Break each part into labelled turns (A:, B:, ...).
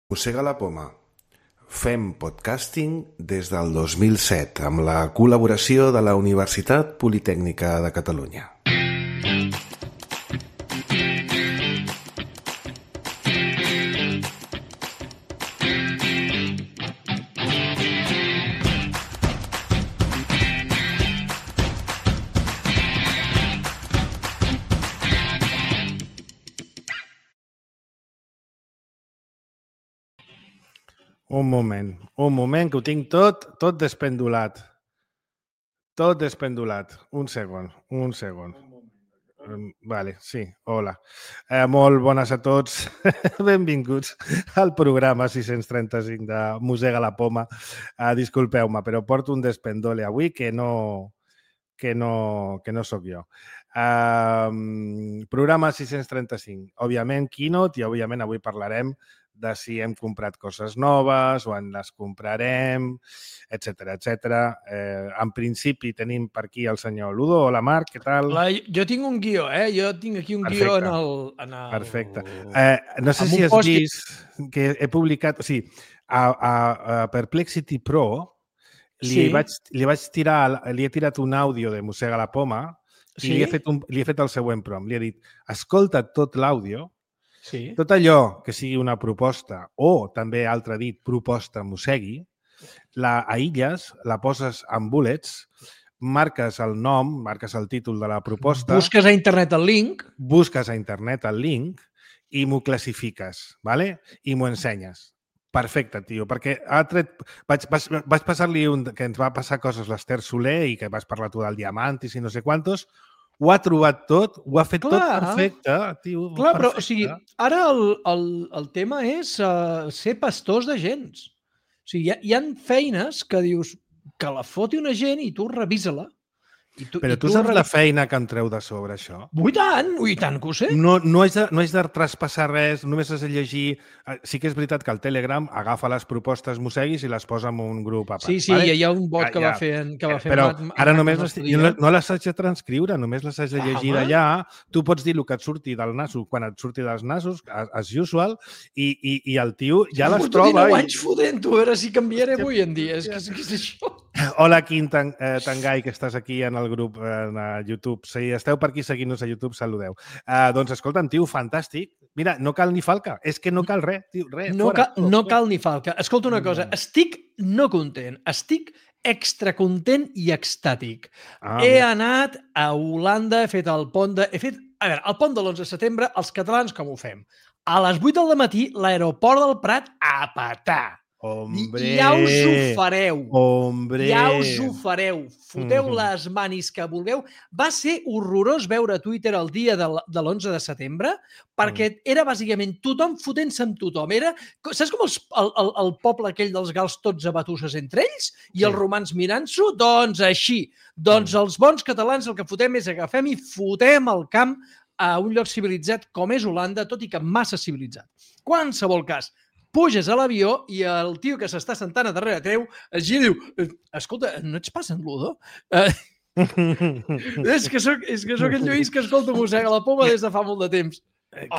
A: Mossega la poma. Fem podcasting des del 2007 amb la col·laboració de la Universitat Politècnica de Catalunya.
B: Un moment, que ho tinc tot despendulat. Tot despendulat. Un segon. Vale, sí, hola. Molt bones a tots. Benvinguts al programa 635 de Mossega la poma. Disculpeu-me, però porto un despendole avui que no sóc jo. Programa 635. Òbviament, keynote, i òbviament avui parlarem de si hem comprat coses noves o en les comprarem, etc. En principi tenim per aquí el senyor Ludo. Hola, Marc, què tal?
C: Hola, jo tinc un guió, Jo tinc aquí un guió en el...
B: Perfecte. No sé si has vist que he publicat... O sigui, a Perplexity Pro li he tirat un àudio de Mossega la poma i li he fet el següent prompt. Li he dit, escolta tot l'àudio, tot allò que sigui una proposta o també, altre dit, proposta mossegui, la aïlles, la poses en bullets, marques el nom, marques el títol de la proposta...
C: Busques a internet el link.
B: Busques a internet el link i m'ho classifiques, ¿vale? I m'ho ensenyes. Perfecte, tio, perquè vaig passar-li que ens va passar coses l'Ester Soler i que vas parlar tu del Diamantis i no sé quantos. Ho ha trobat tot, ho ha fet tot perfecte, tio.
C: Clar, però o sigui, ara el tema és ser pastors de gens. O sigui, hi ha feines que dius que la foti una gent i tu revisa-la.
B: Però tu saps la feina que em treu de sobre, això?
C: I tant que ho sé.
B: No has de traspassar res, només has de llegir... Sí que és veritat que el Telegram agafa les propostes mosseguis i les posa en un grup a part.
C: Sí, hi ha un bot que va fer...
B: Però ara només no les haig de transcriure, només les haig de llegir d'allà. Tu pots dir el que et surti del nas, quan et surti dels nasos, as usual, i el tio ja les troba.
C: 19 anys fotent-ho, a veure si canviaré avui en dia. Què és això?
B: Hola, Quim Tangai, que estàs aquí en el grup a YouTube. Si esteu per aquí seguint-nos a YouTube, saludeu. Doncs escolta'm, tio, fantàstic. Mira, no cal ni falca. És que no cal res, tio, res.
C: No cal ni falca. Escolta una cosa, estic no content, estic extra content i extàtic. He anat a Holanda, he fet el pont de... A veure, el pont de l'11 de setembre, els catalans com ho fem? A les 8 del matí, l'aeroport del Prat a petar. Ja us ho fareu. Ja us ho fareu. Foteu les manis que vulgueu. Va ser horrorós veure Twitter el dia de l'11 de setembre perquè era bàsicament tothom fotent-se amb tothom. Saps com el poble aquell dels gals tots a batusses entre ells i els romans mirant-s'ho? Doncs així. Doncs els bons catalans el que fotem és agafem i fotem el camp a un lloc civilitzat com és Holanda, tot i que massa civilitzat. Qualsevol cas, puges a l'avió i el tio que s'està sentant a darrere teu es gira i diu, escolta, no ets pas en Ludo? És que sóc el Lluís que escolta Mossega la poma des de fa molt de temps.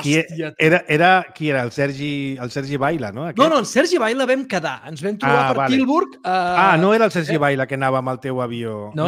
B: Qui era? El Sergi Baila, no?
C: No, el Sergi Baila vam quedar. Ens vam trobar per Tilburg.
B: No era el Sergi Baila que anava amb el teu avió.
C: No.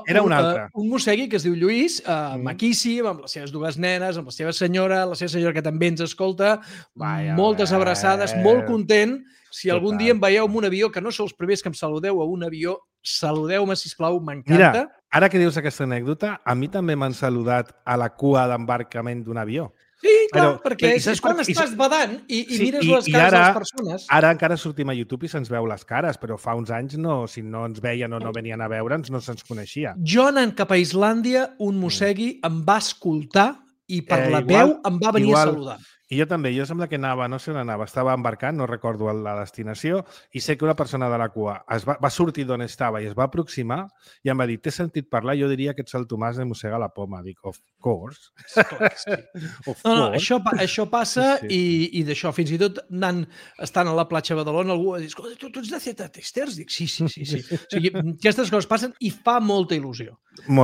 B: Era un altre.
C: Un mossegui que es diu Lluís, maquíssim, amb les seves dues nenes, amb la seva senyora que també ens escolta. Moltes abraçades, molt content. Si algun dia em veieu en un avió, que no sou els primers que em saludeu a un avió, saludeu-me, sisplau, m'encanta.
B: Mira, ara que dius aquesta anècdota, a mi també m'han saludat a la cua d'embarcament d'un avió.
C: Sí, clar, perquè és quan estàs badant i mires les cares de les persones.
B: Ara encara sortim a YouTube i se'ns veu les cares, però fa uns anys si no ens veien o no venien a veure'ns, no se'ns coneixia.
C: Jo anant cap a Islàndia, un mossegui em va escoltar i per la veu em va venir a saludar.
B: I jo també, jo sembla que anava, no sé on anava, estava embarcant, no recordo la destinació, i sé que una persona de la cua va sortir d'on estava i es va aproximar i em va dir, t'he sentit parlar, jo diria que ets el Tomàs de Mossega la poma. Dic, of course.
C: Això passa i d'això, fins i tot estant a la platja de Badalona, algú va dir, escolta, tu ets de Z Testers? Dic, sí. O sigui, aquestes coses passen i fa molta il·lusió.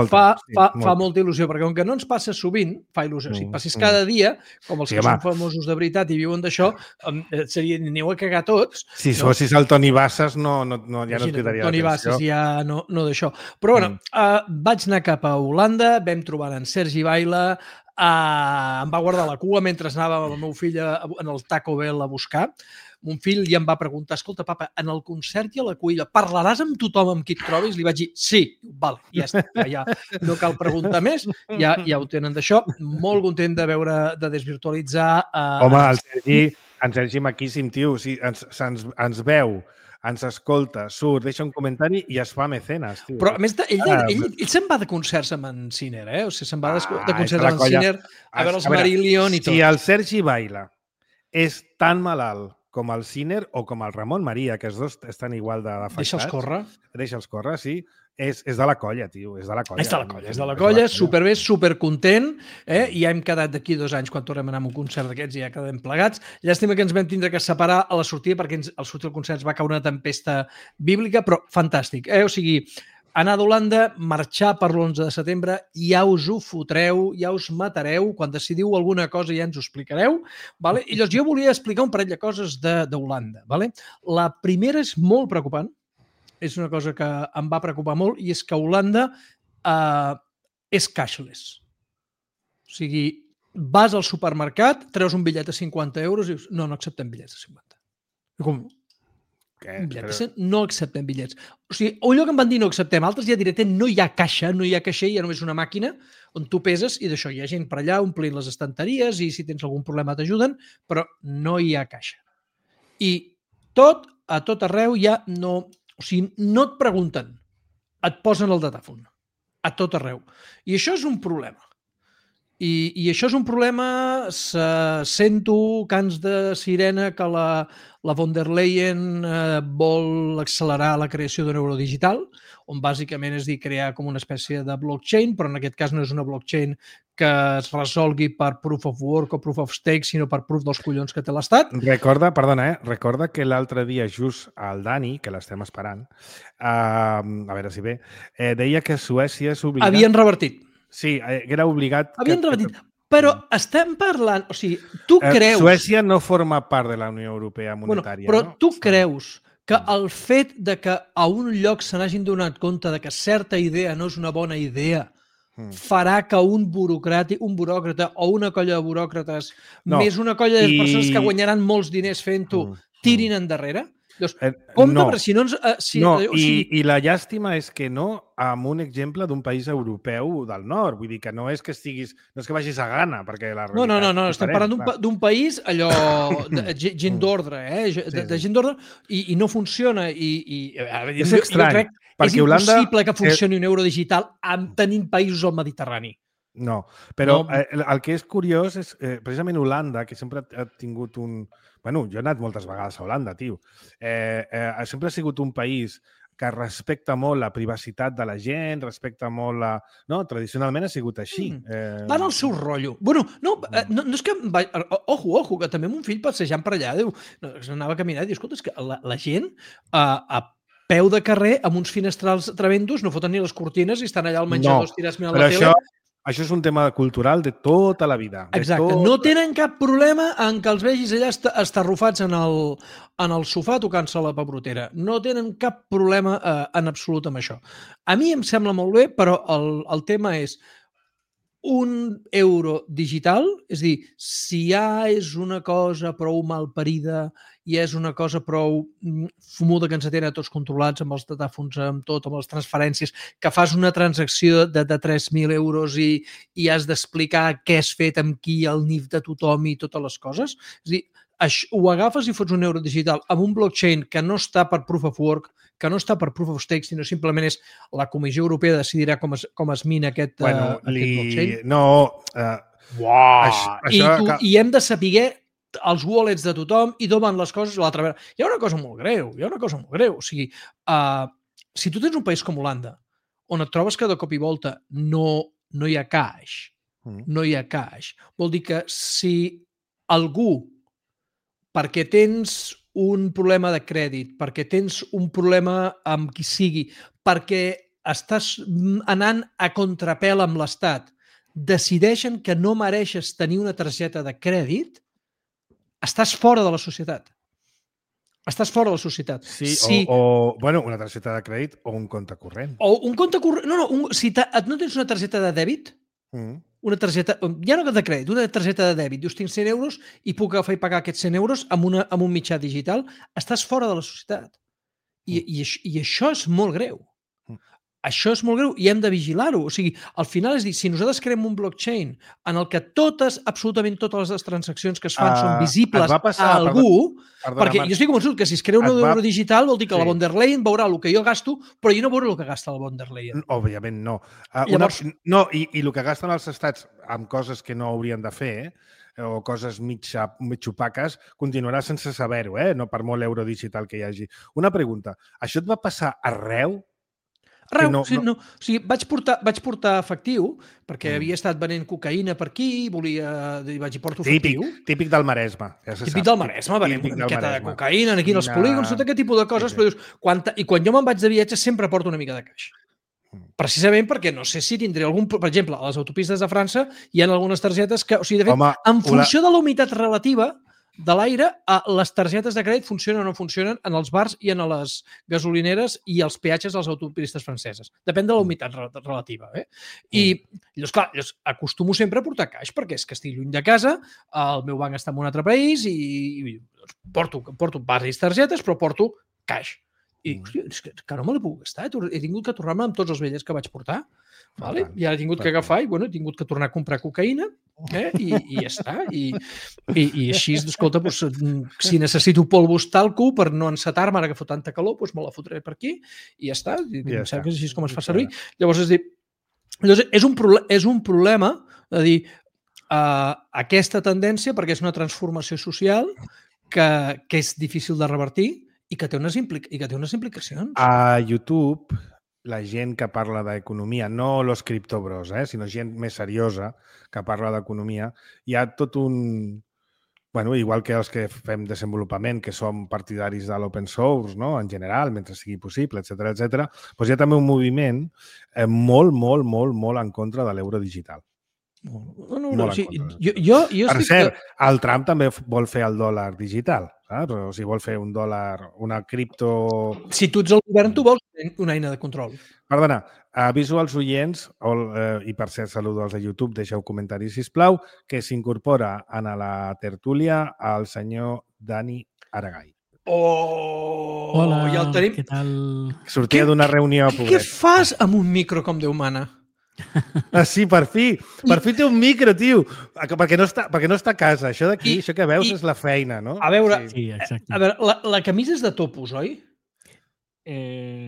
C: Fa molta il·lusió, perquè com que no ens passa sovint, fa il·lusió. Si passis cada dia, com els que són famosos de veritat i viuen d'això, aneu a cagar tots.
B: Si fossis el Toni Bassas, ja no et cridaria l'atenció.
C: Toni Bassas ja no d'això. Però bueno, vaig anar cap a Holanda, vam trobar en Sergi Baila, em va guardar la cua mentre anava amb el meu fill en el Taco Bell a buscar. Mon fill ja em va preguntar, escolta, papa, en el concert i a la cuina parlaràs amb tothom amb qui et trobis? Li vaig dir, sí, vale, ja està, ja no cal preguntar més, ja ho tenen d'això. Molt content de veure, de desvirtualitzar...
B: Home, en Sergi maquíssim, tio, ens veu, ens escolta, surt, deixa un comentari i es fa mecenes, tio.
C: Però, a més, ell se'n va de concerts amb en Sinner, O sigui, se'n va de concerts amb en Sinner a veure els Marillion i tot.
B: Si el Sergi Baila és tan malalt com el Sinner o com el Ramon Maria, que els dos estan igual d'afectats. Deixa'ls córrer, sí. És de la colla, tio. És de la
C: colla, superbé, supercontent. Ja hem quedat d'aquí 2 anys quan tornem a anar a un concert d'aquests i ja quedem plegats. Llàstima que ens vam tindre que separar a la sortida perquè al sortir del concert va caure una tempesta bíblica, però fantàstic. O sigui, anar d'Holanda, marxar per l'11 de setembre, ja us ho fotreu, ja us matareu, quan decidiu alguna cosa ja ens ho explicareu. Vale? I llavors jo volia explicar un parell de coses d'Holanda. Vale? La primera és molt preocupant, és una cosa que em va preocupar molt, i és que Holanda és cashless. O sigui, vas al supermercat, treus un bitllet de 50 euros i dius, no acceptem bitllets de 50. Com... No acceptem bitllets. O sigui, un lloc em van dir no acceptem, altres ja directament no hi ha caixa, no hi ha caixer, hi ha només una màquina on tu peses i d'això hi ha gent per allà omplint les estanteries i si tens algun problema t'ajuden, però no hi ha caixa. I a tot arreu ja no... O sigui, no et pregunten, et posen el datàfon. A tot arreu. I això és un problema. I això és un problema, sento cants de sirena que la von der Leyen vol accelerar la creació d'un euro digital, on bàsicament és dir, crear com una espècie de blockchain, però en aquest cas no és una blockchain que es resolgui per proof of work o proof of stake, sinó per proof dels collons que té l'Estat.
B: Recorda que l'altre dia just el Dani, que l'estem esperant, a veure si ve, deia que Suècia és obligat...
C: Havien revertit.
B: Sí, era obligat...
C: Havien repetit. Però estem parlant... O sigui, tu creus...
B: Suècia no forma part de la Unió Europea monetària,
C: però tu creus que el fet de que a un lloc se n'hagin donat compte de que certa idea no és una bona idea farà que un buròcrata o una colla de buròcrates més una colla de persones que guanyaran molts diners fent-ho tirin endarrere? Compte, però si no ens...
B: I la llàstima és que no amb un exemple d'un país europeu del nord. Vull dir que no és que vagis a Ghana, perquè la realitat...
C: No, estem parlant d'un país, allò, gent d'ordre, de gent d'ordre, i no funciona.
B: És estrany,
C: perquè Holanda... És impossible que funcioni un euro digital tenint països al Mediterrani.
B: No, però el que és curiós és precisament Holanda, que sempre ha tingut un... Bueno, jo he anat moltes vegades a Holanda, tio. Sempre ha sigut un país que respecta molt la privacitat de la gent, respecta molt la... No, tradicionalment ha sigut així.
C: Van al seu rotllo. Bueno, no és que... Ojo, que també mon fill passejant per allà, anava a caminar i diu, escolta, és que la gent a peu de carrer, amb uns finestrals tremendos, no foten ni les cortines i estan allà al menjador estirats mirant la tele.
B: Això és un tema cultural de tota la vida.
C: Exacte. No tenen cap problema en que els vegis allà estarrufats en el sofà tocant-se la pebrotera. No tenen cap problema en absolut amb això. A mi em sembla molt bé, però el tema és un euro digital, és a dir, si ja és una cosa prou malparida i és una cosa prou fumuda que ens tenen tots controlats amb els datàfons, amb tot, amb les transferències, que fas una transacció de 3.000 euros i has d'explicar què has fet, amb qui, el NIF de tothom i totes les coses. És a dir, ho agafes i fots un euro digital amb un blockchain que no està per proof of work, que no està per proof of stake, sinó simplement és la Comissió Europea decidirà com es mina aquest blockchain. I hem de saber els wallets de tothom i d'on van les coses a l'altra vegada. Hi ha una cosa molt greu. O sigui, si tu tens un país com Holanda, on et trobes que de cop i volta no hi ha caix, vol dir que si algú, perquè tens un problema de crèdit, perquè tens un problema amb qui sigui, perquè estàs anant a contrapèl amb l'Estat, decideixen que no mereixes tenir una targeta de crèdit, estàs fora de la societat. Estàs fora de la societat.
B: Sí, o una targeta de crèdit o un compte corrent.
C: O un compte corrent... Si no tens una targeta de dèbit, una targeta... Ja no de crèdit, una targeta de dèbit. Dius, tinc 100 euros i puc agafar i pagar aquests 100 euros amb un mitjà digital. Estàs fora de la societat. I això és molt greu. Això és molt greu i hem de vigilar-ho. O sigui, al final és dir, si nosaltres creem un blockchain en el que absolutament totes les transaccions que es fan són visibles a algú, perquè jo estic convençut que si es crea un euro digital vol dir que la von der Leyen veurà el que jo gasto, però jo no veuré el que gasta la von der Leyen.
B: Òbviament no.
C: Llavors...
B: I el que gasten els estats amb coses que no haurien de fer, o coses mig opaques, continuarà sense saber-ho, no per molt euro digital que hi hagi. Una pregunta, això et va passar arreu?
C: Arreu, no. O sigui, vaig portar efectiu, perquè havia estat venent cocaïna per aquí, vaig i porto efectiu.
B: Típic del Maresme.
C: Típic del Maresme, venent una miqueta de cocaïna aquí en els polígons, tot aquest tipus de coses, però dius, i quan jo me'n vaig de viatge sempre porto una mica de caix. Precisament perquè no sé si tindré algun... Per exemple, a les autopistes de França hi ha algunes targetes que... O sigui, de fet, en funció de la humitat relativa de l'aire, les targetes de crèdit funcionen o no funcionen en els bars i en les gasolineres i els peatges de les autopistes franceses. Depèn de la humitat relativa. I llavors, clar, acostumo sempre a portar caix perquè és que estic lluny de casa, el meu banc està en un altre país i porto diverses targetes, però porto caix. I, hòstia, és que no me l'he pogut gastar. He tingut que tornar-me amb tots els bitllets que vaig portar. Vale? I ara he tingut que agafar i he tingut que tornar a comprar cocaïna i ja està. I així, escolta, si necessito polvos talco per no encetar-me ara que fot tanta calor, me la fotré per aquí i ja està. Em sembla que és així com es fa servir. Llavors, és un problema de dir aquesta tendència, perquè és una transformació social que és difícil de revertir i que té unes implicacions.
B: A YouTube, la gent que parla d'economia, no los criptobros, sinó gent més seriosa que parla d'economia, hi ha tot un... igual que els que fem desenvolupament, que som partidaris de l'open source, no? En general, mentre sigui possible, etc etc. Hi ha també un moviment molt en contra de l'euro digital.
C: Per
B: cert, el Trump també vol fer el dòlar digital, saps? O sigui, vol fer un dòlar, una cripto...
C: Si tu ets el govern, tu vols una eina de control.
B: Perdona, aviso als oients, i per cert, saludo als de YouTube, deixeu comentaris, sisplau, que s'incorpora a la tertúlia el senyor Dani Aragai.
C: Hola, ja el tenim.
D: Què tal?
B: Sortia d'una reunió, pobret.
C: Què fas amb un micro com Déu mana?
B: Sí, per fi té un micro, tio, perquè no està a casa. Això d'aquí, això que veus és la feina, no?
C: A veure,
D: sí, exacte.
C: A veure, la camisa és de topos, oi?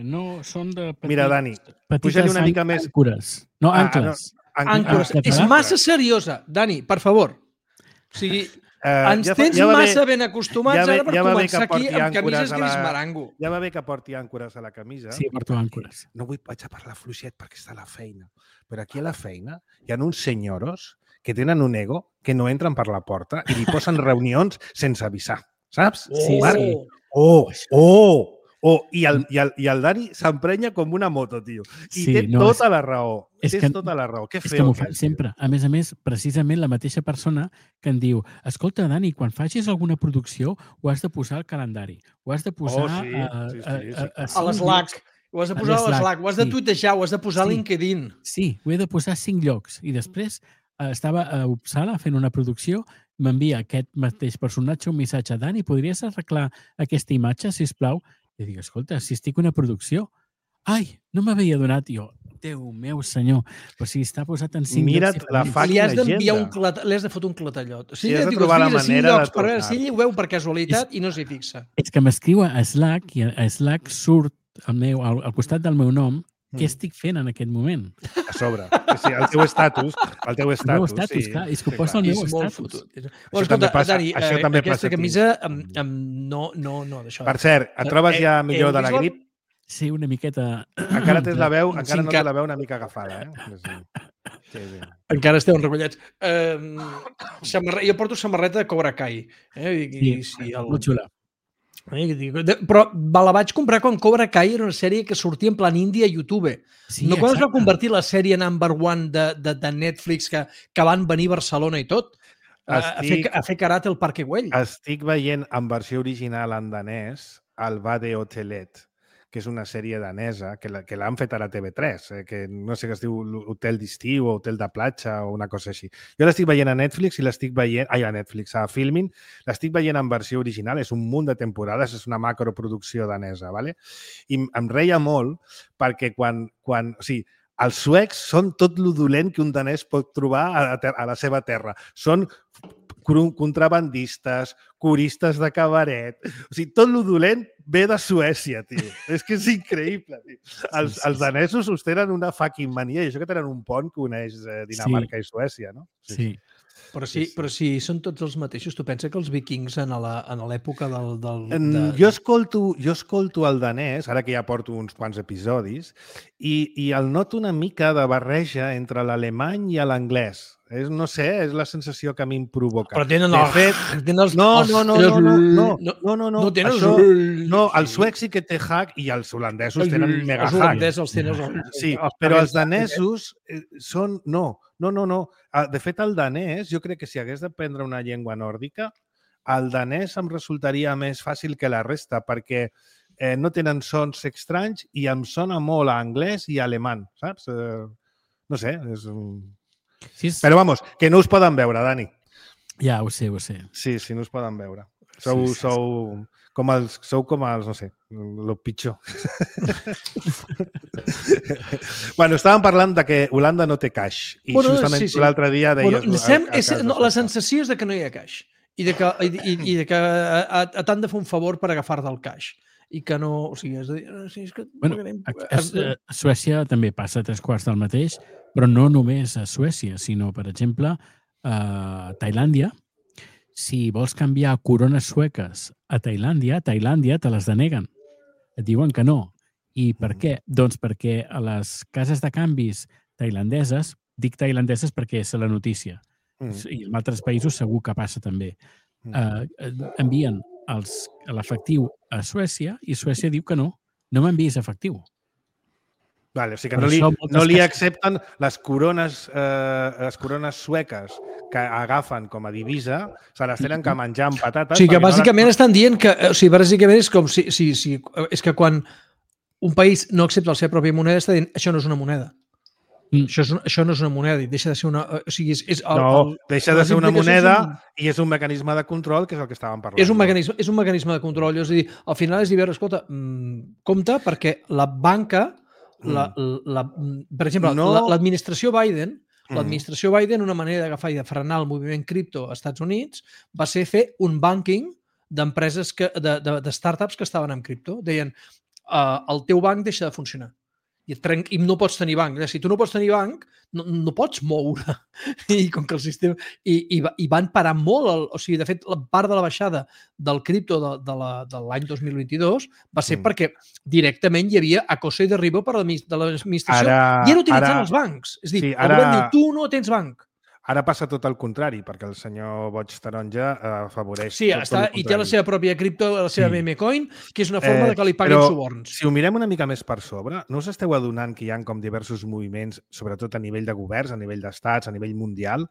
D: No, són de petites...
B: Mira, Dani, puja-li una mica més...
D: Àncores. No, àncores.
C: Àncores. És massa seriosa. Dani, per favor. O sigui, ens tens massa ben acostumats ara per començar aquí amb camises gris marango.
B: Ja va bé que porti àncores a la camisa.
D: Sí, porto àncores.
B: No vaig a parlar fluixet perquè està a la feina. Però aquí a la feina hi ha uns senyoros que tenen un ego que no entren per la porta i li posen reunions sense avisar. Saps?
D: Sí.
B: I el Dani s'emprenya com una moto, tio. I té tota la raó. Tota la raó.
D: És que m'ho fan sempre. A més, precisament la mateixa persona que em diu, escolta, Dani, quan facis alguna producció ho has de posar al calendari. Ho has de posar
C: a l'Slack. Ho has de posar a l'Slack, ho has de tuitejar, ho has de posar a LinkedIn.
D: Sí, ho he de posar a 5 llocs. I després estava a Uppsala fent una producció, m'envia aquest mateix personatge un missatge, Dani, podries arreglar aquesta imatge, sisplau? I dic, escolta, si estic una producció, ai, no m'havia donat jo. Déu meu senyor, però si està posat en 5
B: llocs... Mira't la fucking
C: agenda. Li has de fotre un clatallot. O sigui,
B: has de trobar la manera de tornar.
C: Si ell ho veu per casualitat i no s'hi fixa.
D: És que m'escriu a Slack i a Slack surt al costat del meu nom què estic fent en aquest moment.
B: A sobre. Sí, el teu estatus. El teu estatus,
D: clar. És que ho posa el meu estatus.
C: Escolta, Dani, aquesta camisa no d'això.
B: Per cert, et trobes ja millor de la grip?
D: Sí, una miqueta...
B: Encara tens la veu, encara no té la veu una mica agafada,
C: Sí. Encara esteu enrebollats. Jo porto samarreta de Cobra Kai.
D: Sí, molt xula.
C: Però la vaig comprar quan Cobra Kai era una sèrie que sortia en plan índia a YouTube.
D: Sí,
C: no quan es va
D: exacte.
C: convertir la sèrie number one de Netflix que van venir a Barcelona i tot. A fer karate al Parque Güell.
B: Estic veient en versió original en danès el Bade Hotelet, que és una sèrie danesa que l'han fet ara a TV3, que no sé què es diu Hotel d'estiu o Hotel de platja o una cosa així. Jo l'estic veient a Netflix i l'estic veient... Ai, a Netflix, a Filmin. L'estic veient en versió original. És un munt de temporades, és una macroproducció danesa, ¿vale? I em reia molt perquè quan o sigui, els suecs són tot lo dolent que un danès pot trobar a la seva terra. Són contrabandistes, coristes de cabaret... O sigui, tot lo dolent ve de Suècia, tio. És que és increïble, tio. Els danesos us tenen una fucking mania, i això que tenen un pont que uneix Dinamarca i Suècia, no?
D: Sí.
C: Però si són tots els mateixos, tu pensa que els vikings en l'època
B: Jo escolto el danès, ara que ja porto uns quants episodis, i el noto una mica de barreja entre l'alemany i l'anglès. No sé, és la sensació que a mi em provoca.
C: Però tenen els...
B: No.
C: No tenen els...
B: No, els suecs sí que té hack i els holandesos tenen mega hack.
C: Els holandesos els tenen...
B: Sí, però els danesos són... No. De fet, el danès, jo crec que si hagués d'aprendre una llengua nòrdica, el danès em resultaria més fàcil que la resta, perquè no tenen sons estranys i em sona molt a anglès i a alemany, saps? No sé, és... Però, vamos, que no us poden veure, Dani.
D: Ja, ho sé.
B: Sí, no us poden veure. Sou com els, no sé, el pitjor. Bueno, estàvem parlant de que Holanda no té caix. I justament l'altre dia deies...
C: La sensació és de que no hi ha caix. I de que t'han de fer un favor per agafar del caix. I que no... O sigui, és que...
D: A Suècia també passa 3/4 del mateix, però no només a Suècia, sinó, per exemple, a Tailàndia. Si vols canviar corones sueques a Tailàndia te les deneguen. Et diuen que no. I per què? Doncs perquè a les cases de canvis tailandeses, dic tailandeses perquè és la notícia, i en altres països segur que passa també, envien l'efectiu a Suècia i Suècia diu que no m'enviïs efectiu.
B: Vale, o sigui que no li accepten les corones sueques que agafen com a divisa, se les tenen que menjar amb patates...
C: O sigui que bàsicament estan dient que... O sigui, bàsicament és com si... És que quan un país no accepta la seva pròpia moneda està dient això no és una moneda. Això no és una moneda i deixa de ser una... O sigui,
B: deixa de ser una moneda i és un mecanisme de control, que és el que estàvem parlant.
C: És un mecanisme de control. És a dir, al final és dir, escolta, compte perquè la banca... Per exemple, l'administració Biden, una manera d'agafar i de frenar el moviment cripto als Estats Units va ser fer un banking d'empreses, de startups que estaven en cripto. Deien, el teu banc deixa de funcionar i no pots tenir banc. Si tu no pots tenir banc, no pots moure. I com que el sistema... I van parar molt... O sigui, de fet, la part de la baixada del cripto de l'any 2022 va ser perquè directament hi havia acoso i derribo de l'administració i era utilitzant els bancs. És a dir, el govern diu, tu no tens banc.
B: Ara passa tot el contrari, perquè el senyor Boig Taronja afavoreix...
C: Sí, i té la seva pròpia cripto, la seva meme coin, que és una forma de que li paguin suborns.
B: Si ho mirem una mica més per sobre, no us esteu adonant que hi ha com diversos moviments, sobretot a nivell de governs, a nivell d'estats, a nivell mundial,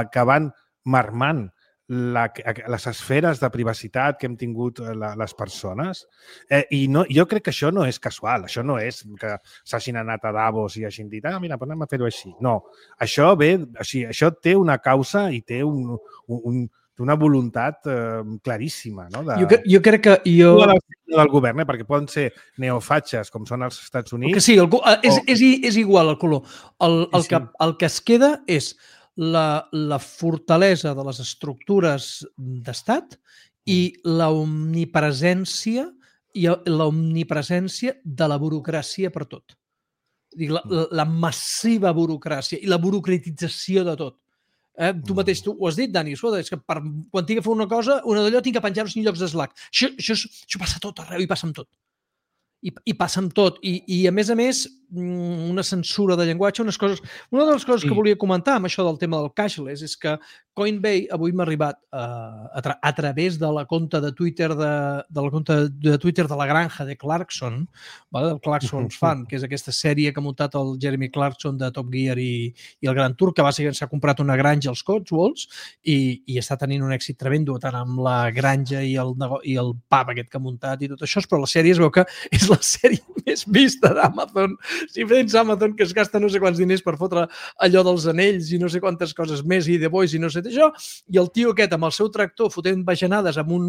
B: que van marmant les esferes de privacitat que hem tingut les persones. Jo crec que això no és casual, això no és que s'hagin anat a Davos i hagin dit mira, anem a fer-ho així. No, això té una causa i té una voluntat claríssima.
C: Jo crec que...
B: del govern, perquè poden ser neofatxes, com són els Estats Units...
C: Sí, és igual el color. El que es queda és la fortalesa de les estructures d'estat i l'omnipresència de la burocràcia per tot. La massiva burocràcia i la burocratització de tot. Tu mateix ho has dit, Dani, és que quan tinc que fer una cosa, una d'allò tinc que penjar-ho en llocs de Slack. Això passa tot arreu i passa amb tot. i passa amb tot. I a més, una censura de llenguatge, unes coses... Una de les coses que volia comentar amb això del tema del cashless és que Coinbase avui m'ha arribat a través de la compte de Twitter de la granja de Clarkson, del Clarkson's Fan, que és aquesta sèrie que ha muntat el Jeremy Clarkson de Top Gear i el Gran Tour, que bàsicament s'ha comprat una granja als Cotswolds i està tenint un èxit tremendo tant amb la granja i el pub aquest que ha muntat i tot això, però la sèrie es veu que és la sèrie més vista d'Amazon. Si vens Amazon, que es gasta no sé quants diners per fotre allò dels anells i no sé quantes coses més i The Voice i no sé això, i el tio aquest amb el seu tractor fotent bajanades amb un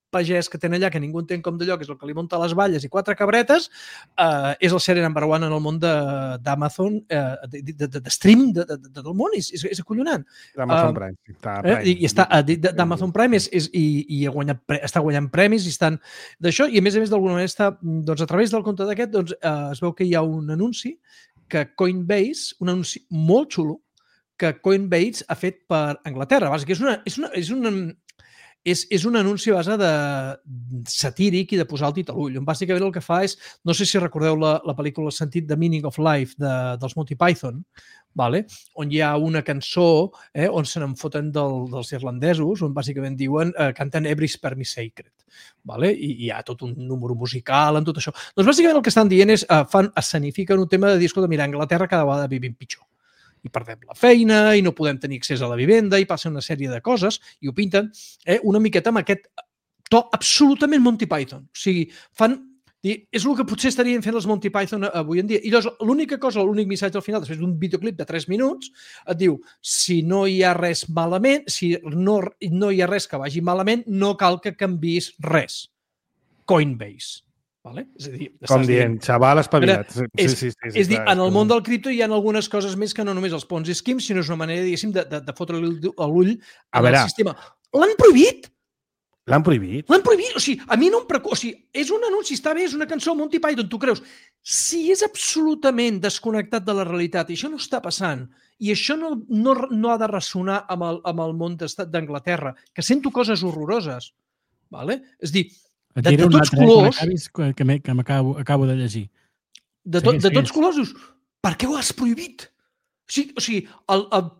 C: pagès que tenen allà que ningú entén com d'allò, que és el que li munta les valles i 4 cabretes, és el sèrie number one en el món d'Amazon, de stream del món, és acollonant.
B: D'Amazon Prime.
C: I d'Amazon Prime i està guanyant premis i estan d'això, i a més d'alguna manera està, doncs a través del compte d'aquest, es veu que hi ha un anunci que Coinbase, un anunci molt xulo, que Coinbase ha fet per Anglaterra. Bàsicament és un anunci a base de satíric i de posar el dit a l'ull. Bàsicament el que fa és, no sé si recordeu la pel·lícula Sentit de Meaning of Life dels Monty Python, on hi ha una cançó on se n'en foten dels irlandesos, on bàsicament diuen, canten Every Sperm is Sacred. I hi ha tot un número musical en tot això. Doncs bàsicament el que estan dient és, escenifiquen un tema de dir, escolta, mira, a Anglaterra cada vegada vivim pitjor. I perdem la feina, i no podem tenir accés a la vivenda, i passa una sèrie de coses, i ho pinten una miqueta amb aquest to absolutament Monty Python. O sigui, és el que potser estarien fent els Monty Python avui en dia. I llavors, l'únic missatge al final, després d'un videoclip de 3 minuts, et diu, si no hi ha res malament, si no hi ha res que vagi malament, no cal que canviïs res. Coinbase. És a dir,
B: com dient, xaval espavilat.
C: És dir, en el món del cripto hi ha algunes coses més que no només els Ponzi Schemes, sinó és una manera, diguéssim, de fotre l'ull al sistema. L'han prohibit!
B: L'han prohibit?
C: L'han prohibit! O sigui, a mi no em preocupa. O sigui, és un anunci, està bé, és una cançó Monty Python, tu creus. Si és absolutament desconnectat de la realitat i això no està passant, i això no ha de ressonar amb el món d'Anglaterra, que sento coses horroroses, és dir, de tots colors...
D: Que m'acabo de llegir.
C: De tots colors, per què ho has prohibit? O sigui,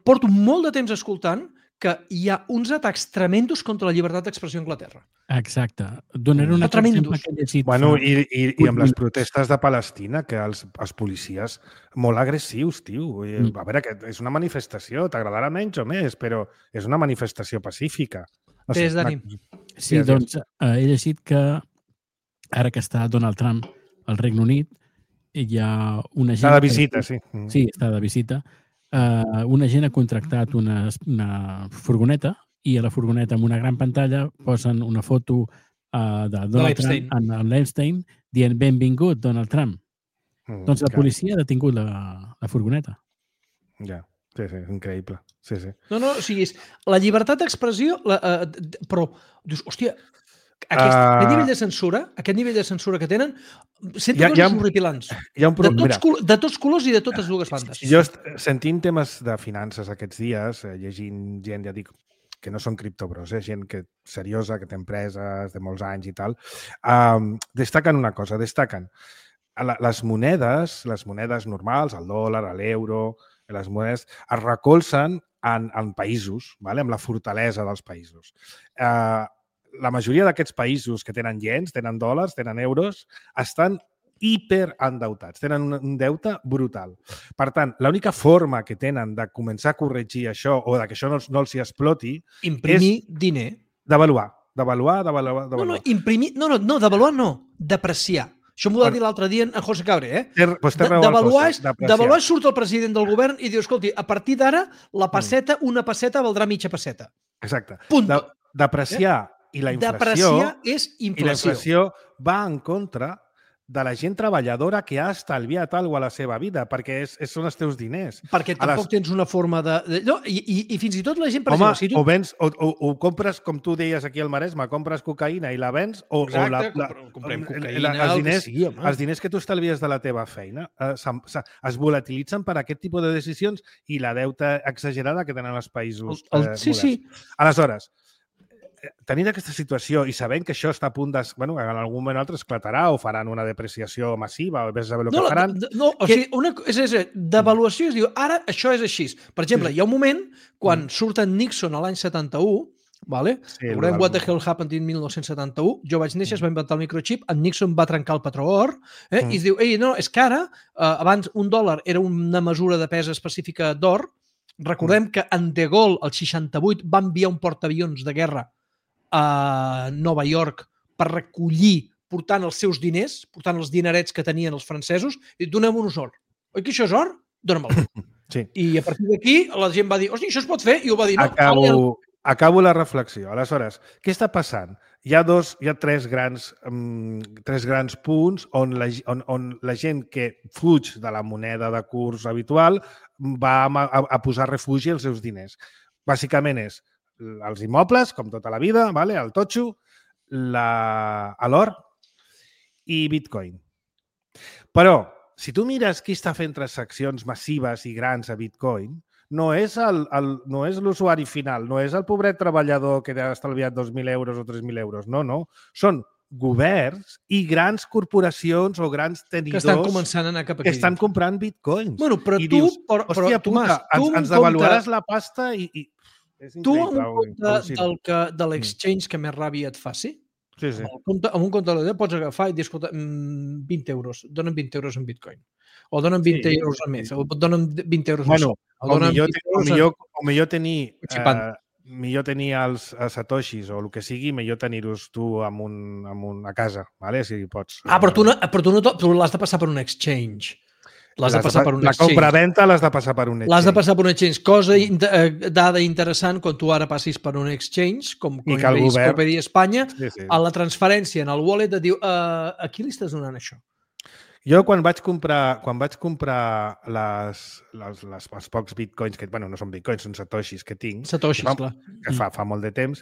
C: porto molt de temps escoltant que hi ha uns atacs tremendos contra la llibertat d'expressió a Anglaterra.
D: Exacte. Donaré un altre exemple que he llegit.
B: I amb les protestes de Palestina, que els policies molt agressius, tio. A veure, és una manifestació, t'agradarà menys o més, però és una manifestació pacífica.
C: Des d'ànim.
D: Sí, doncs he llegit que ara que està Donald Trump al Regne Unit, hi ha una gent...
B: Està de visita, sí.
D: Sí, està de visita. Una gent ha contractat una furgoneta i a la furgoneta amb una gran pantalla posen una foto de Donald Trump amb l'Epstein dient benvingut, Donald Trump. Doncs la policia ha detingut la furgoneta.
B: Ja. Sí, increïble. Sí.
C: No, o sigui, la llibertat d'expressió, però, dius, hòstia, aquest nivell de censura que tenen, sento coses horripilants. De tots colors i de totes dues bandes.
B: Jo, sentint temes de finances aquests dies, llegint gent, ja dic, que no són criptobros, gent seriosa, que té empreses de molts anys i tal, destaquen una cosa, les monedes normals, el dòlar, l'euro, les monedes es recolzen en països, amb la fortalesa dels països. La majoria d'aquests països que tenen iens, tenen dòlars, tenen euros, estan hiperendeutats, tenen un deute brutal. Per tant, l'única forma que tenen de començar a corregir això o que això no els hi exploti
C: imprimir diner.
B: Devaluar.
C: No, imprimir... No, devaluar no, depreciar. Això m'ho va dir l'altre dia en José Cabré. Devaluar surt el president del govern i diu, escolti, a partir d'ara una passeta valdrà mitja passeta.
B: Exacte.
C: Punt.
B: Depreciar i la inflació...
C: Depreciar és inflació.
B: I la inflació va en contra de la gent treballadora que ha estalviat alguna cosa a la seva vida, perquè són els teus diners.
C: Perquè tampoc tens una forma de... I fins i tot la gent...
B: O compres, com tu deies aquí al Maresme, compres cocaïna i la vens, o
C: comprem cocaïna,
B: els diners que tu estalvies de la teva feina es volatilitzen per aquest tipus de decisions i la deuta exagerada que tenen els països moderns.
C: Sí.
B: Aleshores, tenint aquesta situació i sabent que això està a punt de... Bueno, en algun moment altre esclatarà o faran una depreciació massiva o vés a saber el que faran.
C: O sigui, d'avaluació es diu, ara això és així. Per exemple, hi ha un moment, quan surt en Nixon a l'any 71, vale? Sí, recordem What the Hell Happened in 1971, jo vaig néixer, es va inventar el microchip, en Nixon va trencar el patró or, i es diu, no, és que ara, abans $1 era una mesura de pes específica d'or, recordem que en De Gaulle, el 68, va enviar un portaavions de guerra a Nova York per recollir, portant els seus diners, portant els dinerets que tenien els francesos, i donem-nos or. Oi que això és or? Dóna-me'l.
B: Sí.
C: I a partir d'aquí la gent va dir, hosti, això es pot fer? I ho va dir, no.
B: Acabo la reflexió. Aleshores, què està passant? Hi ha tres grans punts on la gent que fuig de la moneda de curs habitual va a posar refugi als seus diners. Bàsicament és els immobles, com tota la vida, el totxo, l'or i Bitcoin. Però, si tu mires qui està fent transaccions massives i grans a Bitcoin, no és l'usuari final, no és el pobret treballador que ha estalviat 2.000 euros o 3.000 euros. No. Són governs i grans corporacions o grans tenidors
C: que estan començant a anar cap aquí.
B: Que estan comprant bitcoins.
C: Bueno, però
B: i
C: tu...
B: dius, hòstia puta, ens devaluaràs la pasta i...
C: Tu, en compte de l'exchange que més ràbia et faci,
B: sí.
C: Amb un compte de l'ED pots agafar i dir, escolta, 20 euros, donen 20 euros en bitcoin. O donen 20 euros a més, o donen 20 euros a més.
B: O millor tenir els satoshis o el que sigui, millor tenir-los tu a casa, si pots.
C: Però tu l'has de passar per un exchange. L'has de passar per un exchange.
B: La compra-venta l'has de passar per un exchange.
C: L'has de passar per un exchange. Dada interessant, quan tu ara passis per un exchange, com Coinbase, Copedi Espanya, a la transferència en el wallet et diu a qui li estàs donant això?
B: Jo, quan vaig comprar els pocs bitcoins, que no són bitcoins, són satoshis que tinc, que fa molt de temps,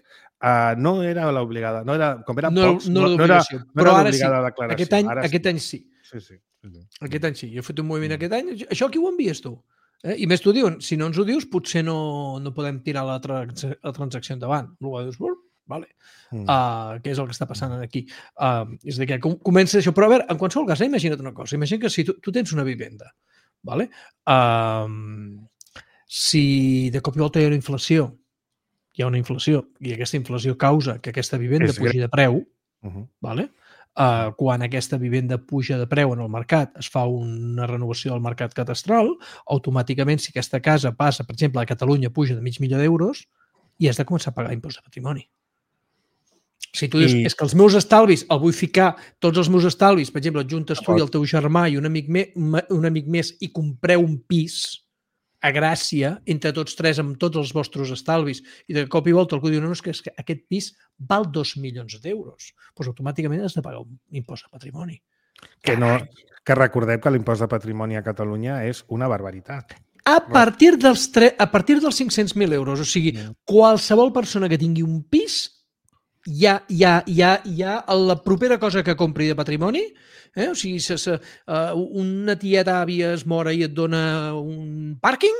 B: no era l'obligada, com eren pocs, no era l'obligada declaració.
C: Aquest any sí. Aquest any sí. Jo he fet un moviment aquest any. Això aquí ho envies tu. I més t'ho diuen. Si no ens ho dius, potser no podem tirar la transacció endavant. Dius, vale. Què és el que està passant aquí? És que comença això. Però a veure, en qualsevol cas, imagina't una cosa. Imagina que si tu tens una vivenda, vale? Si de cop i volta hi ha una inflació, i aquesta inflació causa que aquesta vivenda pugi de preu, vale? Quan aquesta vivenda puja de preu en el mercat, es fa una renovació del mercat catastral, automàticament, si aquesta casa passa, per exemple, a Catalunya puja de $500,000, i has de començar a pagar impost de patrimoni. Si tu dius, és que els meus estalvis, el vull ficar, tots els meus estalvis, per exemple, juntes tu i el teu germà i un amic més i compreu un pis a Gràcia, entre tots tres, amb tots els vostres estalvis, i de cop i volta algú diu, no, és que aquest pis val 2 milions d'euros. Doncs automàticament has de pagar un impost de patrimoni.
B: Que recordem que l'impost de patrimoni a Catalunya és una barbaritat.
C: A partir dels 500.000 euros. O sigui, qualsevol persona que tingui un pis, ja la propera cosa que compri de patrimoni, o sigui, una tieta àvia es mora i et dona un pàrquing,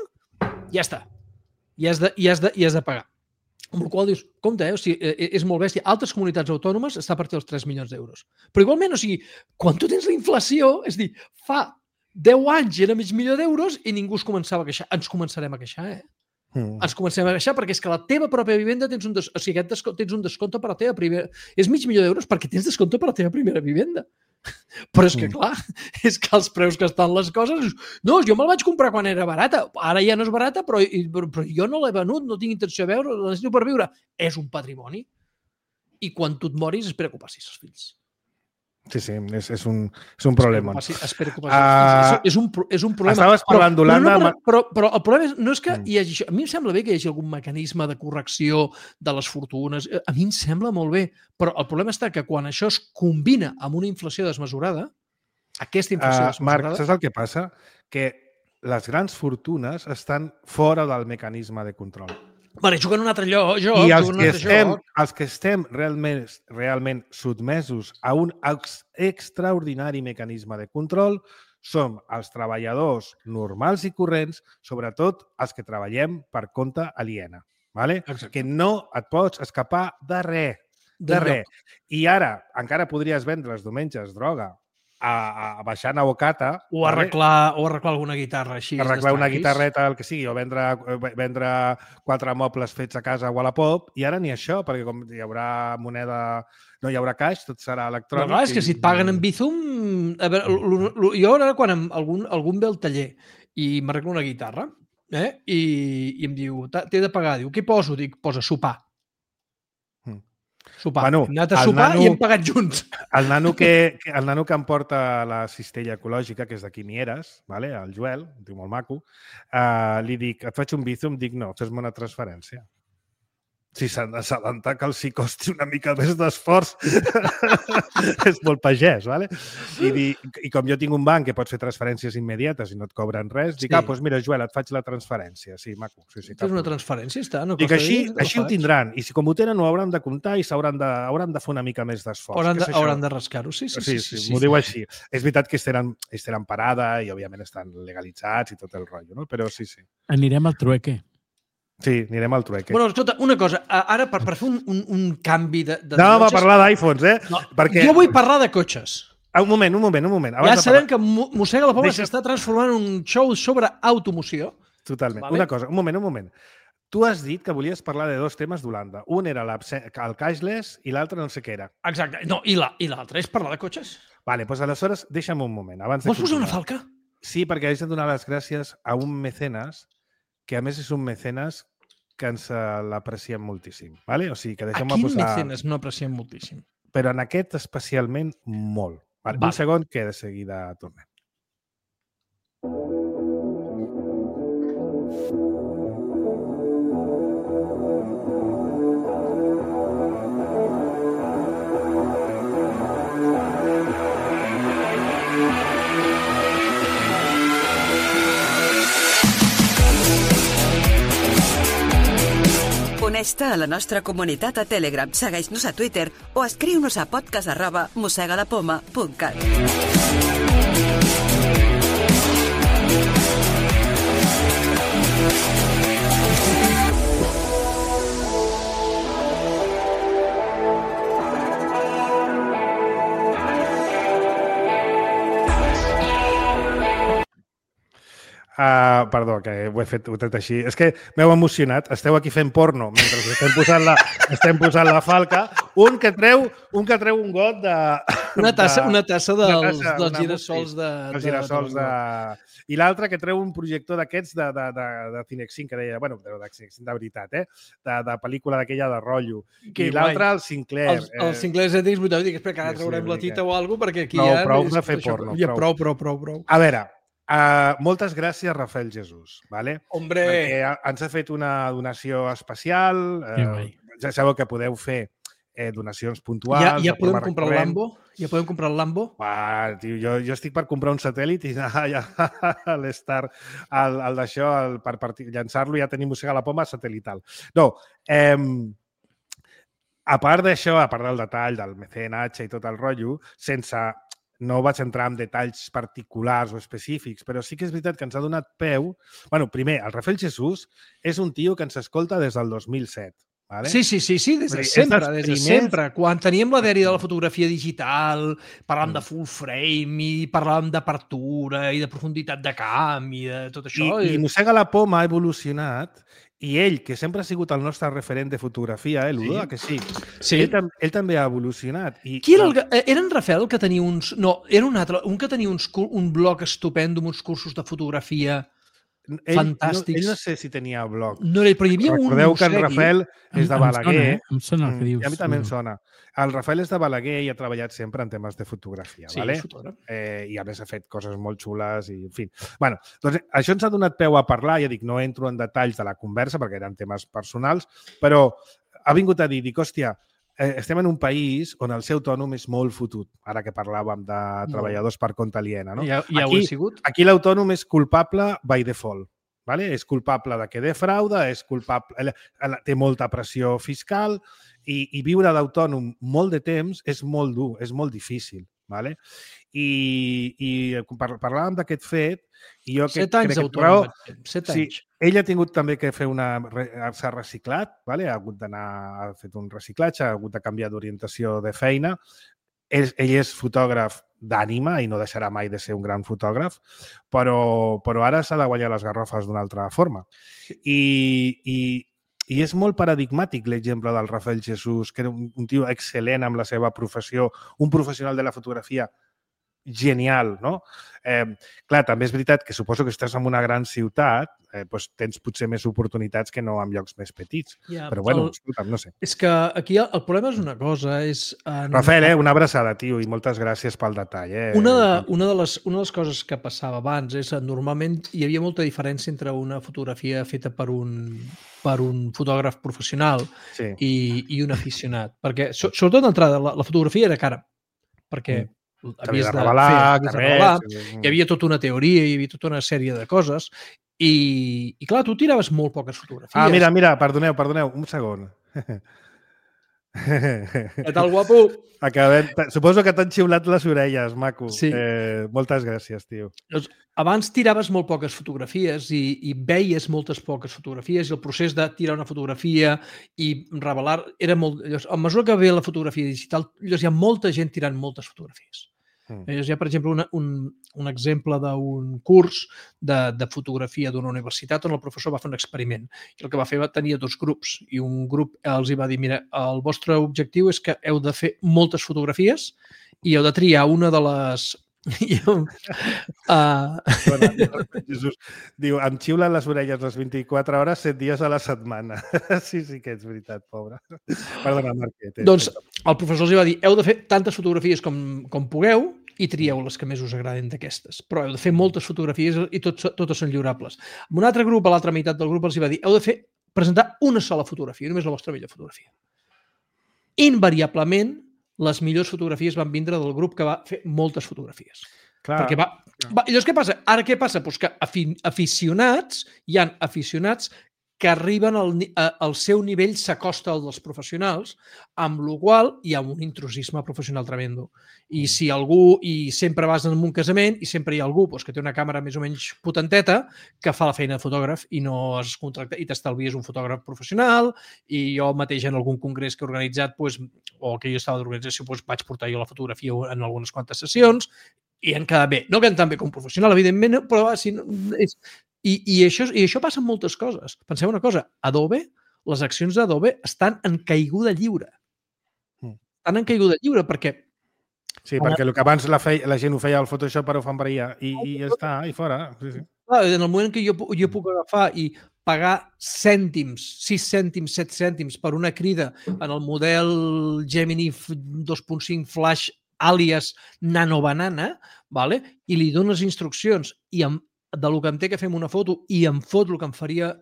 C: ja està. I has de pagar. Amb la qual dius, compte, o sigui, és molt bèstia. Altres comunitats autònomes està a partir dels 3 milions d'euros. Però igualment, o sigui, quan tu tens la inflació, és dir, fa 10 anys era $500,000 d'euros i ningú es començava a queixar. Ens començarem a queixar, Ens comencem a queixar perquè és que la teva pròpia vivenda tens un descompte per la teva primera... És $500,000 d'euros perquè tens descompte per la teva primera vivenda. Però és que, clar, és que els preus que estan les coses... No, jo me'l vaig comprar quan era barata. Ara ja no és barata, però jo no l'he venut, no tinc intenció de veure, la necessito per viure. És un patrimoni. I quan tu et moris, espera que ho passis als fills.
B: Sí, és un problema.
C: Espero que passi. És un problema.
B: Estaves parlant d'Holanda...
C: Però el problema no és que hi hagi això. A mi em sembla bé que hi hagi algun mecanisme de correcció de les fortunes. A mi em sembla molt bé. Però el problema està que quan això es combina amb una inflació desmesurada, aquesta inflació desmesurada...
B: Marc, saps el que passa? Que les grans fortunes estan fora del mecanisme de control.
C: Vale, juguen un altre lloc.
B: I els que estem realment sotmesos a un extraordinari mecanisme de control som els treballadors normals i corrents, sobretot els que treballem per compte aliena. vale? Que no et pots escapar de res. De res. I ara encara podries vendre els diumenges droga baixant a Ocata.
C: O arreglar alguna guitarra així.
B: Arreglar una guitarreta, el que sigui, o vendre 4 mobles fets a casa a Wallapop, i ara ni això, perquè com hi haurà moneda, no hi haurà caix, tot serà electrònic.
C: Però clar, és que si et paguen en Bizum... A veure, jo ara quan algun ve al taller i m'arregla una guitarra i em diu, t'he de pagar, diu, què poso? Dic, posa sopar. Sopar. Bueno, hem anat a sopar i hem pagat junts.
B: El nano que em porta la cistella ecològica, que és d'aquí Mieres, el Joel, un tio molt maco, li dic, et faig un Bizum? Dic, no, fes-me una transferència. Si s'han d'assabentar que els hi costi una mica més d'esforç. És molt pagès, ¿vale? I com jo tinc un banc que pots fer transferències immediates i no et cobren res, dic, doncs mira, Joel, et faig la transferència. Sí, maco.
C: Fes una transferència, està.
B: Dic, així ho tindran. I si com ho tenen, ho hauran de comptar i hauran de fer una mica més d'esforç.
C: Hauran de rascar-ho, sí.
B: M'ho diu així. És veritat que estaran parada i, òbviament, estan legalitzats i tot el rotllo, no? Però sí.
D: Anirem al trueque.
B: Sí, anirem al trueque.
C: Bueno, escolta, una cosa. Ara, per fer un canvi de...
B: Anàvem a parlar d'iPhones,
C: No, perquè... Jo vull parlar de cotxes.
B: Un moment.
C: Ja sabem que Mossega la Poma s'està transformant en un show sobre automoció.
B: Totalment. Vale? Una cosa, un moment. Tu has dit que volies parlar de 2 temes d'Holanda. Un era el cashless i l'altre no sé què era.
C: Exacte. No, i l'altre és parlar de cotxes.
B: Vale, doncs aleshores deixa'm un moment.
C: Vols posar una falca?
B: Sí, perquè haig de donar les gràcies a un mecenes, que a més és un mecenes que ens l'apreciem moltíssim. Vale? O sigui, que deixem-me posar...
C: A quin mecenes no apreciem moltíssim?
B: Però en aquest especialment molt. Vale. Un segon que de seguida tornem.
E: Uneix-te a la nostra comunitat a Telegram, segueix-nos a Twitter o escriu-nos a podcast@mossegalapoma.cat.
B: Perdó, que ho he tret així. És que m'heu emocionat. Esteu aquí fent porno mentre estem posant la falca. Un que treu un got de...
C: Una tassa dels girassols de...
B: Els girassols de... I l'altre que treu un projector d'aquests de Cinexin, que deia, bueno, de Cinexin de veritat, de pel·lícula d'aquella de rotllo. I l'altre, el Sinclair.
C: El Sinclair ZX 8, dic, espera, que ara traurem la tita o alguna cosa, perquè aquí
B: ja... Prou de fer porno.
C: Prou.
B: A veure, moltes gràcies, Rafael Jesús. Vale?
C: Hombre!
B: Perquè ens ha fet una donació especial. Ja sabeu que podeu fer donacions puntuals.
C: Ja podem comprar el Lambo? Ja podem comprar el Lambo?
B: Tio, jo estic per comprar un satèl·lit i anar l'Star, el d'això, per llançar-lo, ja tenim Mossega la Poma satelital. No, a part d'això, a part del detall del mecenatge i tot el rotllo, no vaig entrar en detalls particulars o específics, però sí que és veritat que ens ha donat peu... Bueno, primer, el Rafael Jesús és un tio que ens escolta des del 2007. Vale?
C: Sí, des de sempre. Quan teníem la dèria de la fotografia digital, parlàvem de full frame i parlàvem d'apertura i de profunditat de camp i de tot això.
B: I Mossega la Poma ha evolucionat i ell, que sempre ha sigut el nostre referent de fotografia, l'Udo, que sí. Ell també ha evolucionat.
C: Qui era era en Rafael que tenia uns... No, era un altre, un que tenia un blog estupendo amb uns cursos de fotografia fantàstics.
B: Ell no sé si tenia blog.
C: No, però hi havia
B: Recordeu que en Rafael és de Balaguer.
D: Em sona el que dius.
B: I a mi també em sona. El Rafael és de Balaguer i ha treballat sempre en temes de fotografia.
C: Sí,
B: vale? I a més ha fet coses molt xules i, en fi. Bueno, doncs això ens ha donat peu a parlar. Ja dic, no entro en detalls de la conversa perquè eren temes personals, però ha vingut a dir, hòstia, estem en un país on el ser autònom és molt fotut, ara que parlàvem de treballadors per compte aliena. No?
C: Ja ho he sigut.
B: Aquí l'autònom és culpable by default. Vale? És culpable de que defrauda, té molta pressió fiscal i viure d'autònom molt de temps és molt dur, és molt difícil. Vale? I parlàvem d'aquest fet i jo
C: 7 anys
B: crec
C: d'autònom. 7
B: sí,
C: anys.
B: ell ha tingut també que fer s'ha reciclat, vale? Ha hagut d'anar, ha fet un reciclatge, ha hagut de canviar d'orientació de feina. Ell és fotògraf d'ànima i no deixarà mai de ser un gran fotògraf, però ara s'ha de guanyar les garrofes d'una altra forma. I és molt paradigmàtic l'exemple del Rafael Jesús, que era un tio excel·lent amb la seva professió, un professional de la fotografia genial, no? Clar, també és veritat que suposo que estàs en una gran ciutat, doncs tens potser més oportunitats que no en llocs més petits. Però bueno, escolta'm, no sé.
C: És que aquí el problema és una cosa, és...
B: Rafael, una abraçada, tio, i moltes gràcies pel detall.
C: Una de les coses que passava abans és que normalment hi havia molta diferència entre una fotografia feta per un fotògraf professional i un aficionat. Perquè, sobretot d'entrada, la fotografia era cara. Perquè havies de revelar, hi havia tota una teoria, hi havia tota una sèrie de coses i clar, tu tiraves molt poques fotografies.
B: Mira, perdoneu, un segon.
C: Què tal, guapo?
B: Suposo que t'han xiulat les orelles, maco.
C: Sí.
B: Moltes gràcies, tio.
C: Abans tiraves molt poques fotografies i veies moltes poques fotografies i el procés de tirar una fotografia i revelar era molt... A mesura que ve la fotografia digital, hi ha molta gent tirant moltes fotografies. Hi ha, per exemple, un exemple d'un curs de fotografia d'una universitat on el professor va fer un experiment i el que va fer tenia 2 grups i un grup els va dir, mira, el vostre objectiu és que heu de fer moltes fotografies i heu de triar una de les...
B: Jesús diu, em xiulen les orelles les 24 hores, 7 dies a la setmana. Sí que és veritat, pobre. Perdona, Marquet.
C: Doncs el professor els va dir, heu de fer tantes fotografies com pugueu i trieu les que més us agraden d'aquestes. Però heu de fer moltes fotografies i totes són lliurables. Un altre grup, a l'altra meitat del grup, els va dir, heu de presentar una sola fotografia, només la vostra millor fotografia. Invariablement, les millors fotografies van vindre del grup que va fer moltes fotografies.
B: Clar.
C: Llavors, què passa? Ara què passa? Doncs que hi ha aficionats que arriben al seu nivell, s'acosta al dels professionals, amb la qual hi ha un intrusisme professional tremendo. I si algú, i sempre vas en un casament, i sempre hi ha algú que té una càmera més o menys potenteta, que fa la feina de fotògraf i no es contracta, i t'estalvies un fotògraf professional, i jo mateix en algun congrés que he organitzat, o que jo estava d'organització, vaig portar jo la fotografia en algunes quantes sessions, i han quedat bé. No queden tan bé com un professional, evidentment, però I això passa en moltes coses. Penseu una cosa, Adobe, les accions d'Adobe estan en caiguda lliure. Estan en caiguda lliure perquè...
B: Sí, perquè el que abans la gent ho feia al Photoshop, ara ho fan per allà i ja està, i fora. Sí.
C: En el moment que jo puc agafar i pagar cèntims, 6 cèntims, 7 cèntims per una crida en el model Gemini 2.5 Flash àlies nanobanana, i li dones instruccions i del que em té que fer una foto i em fot el que em faria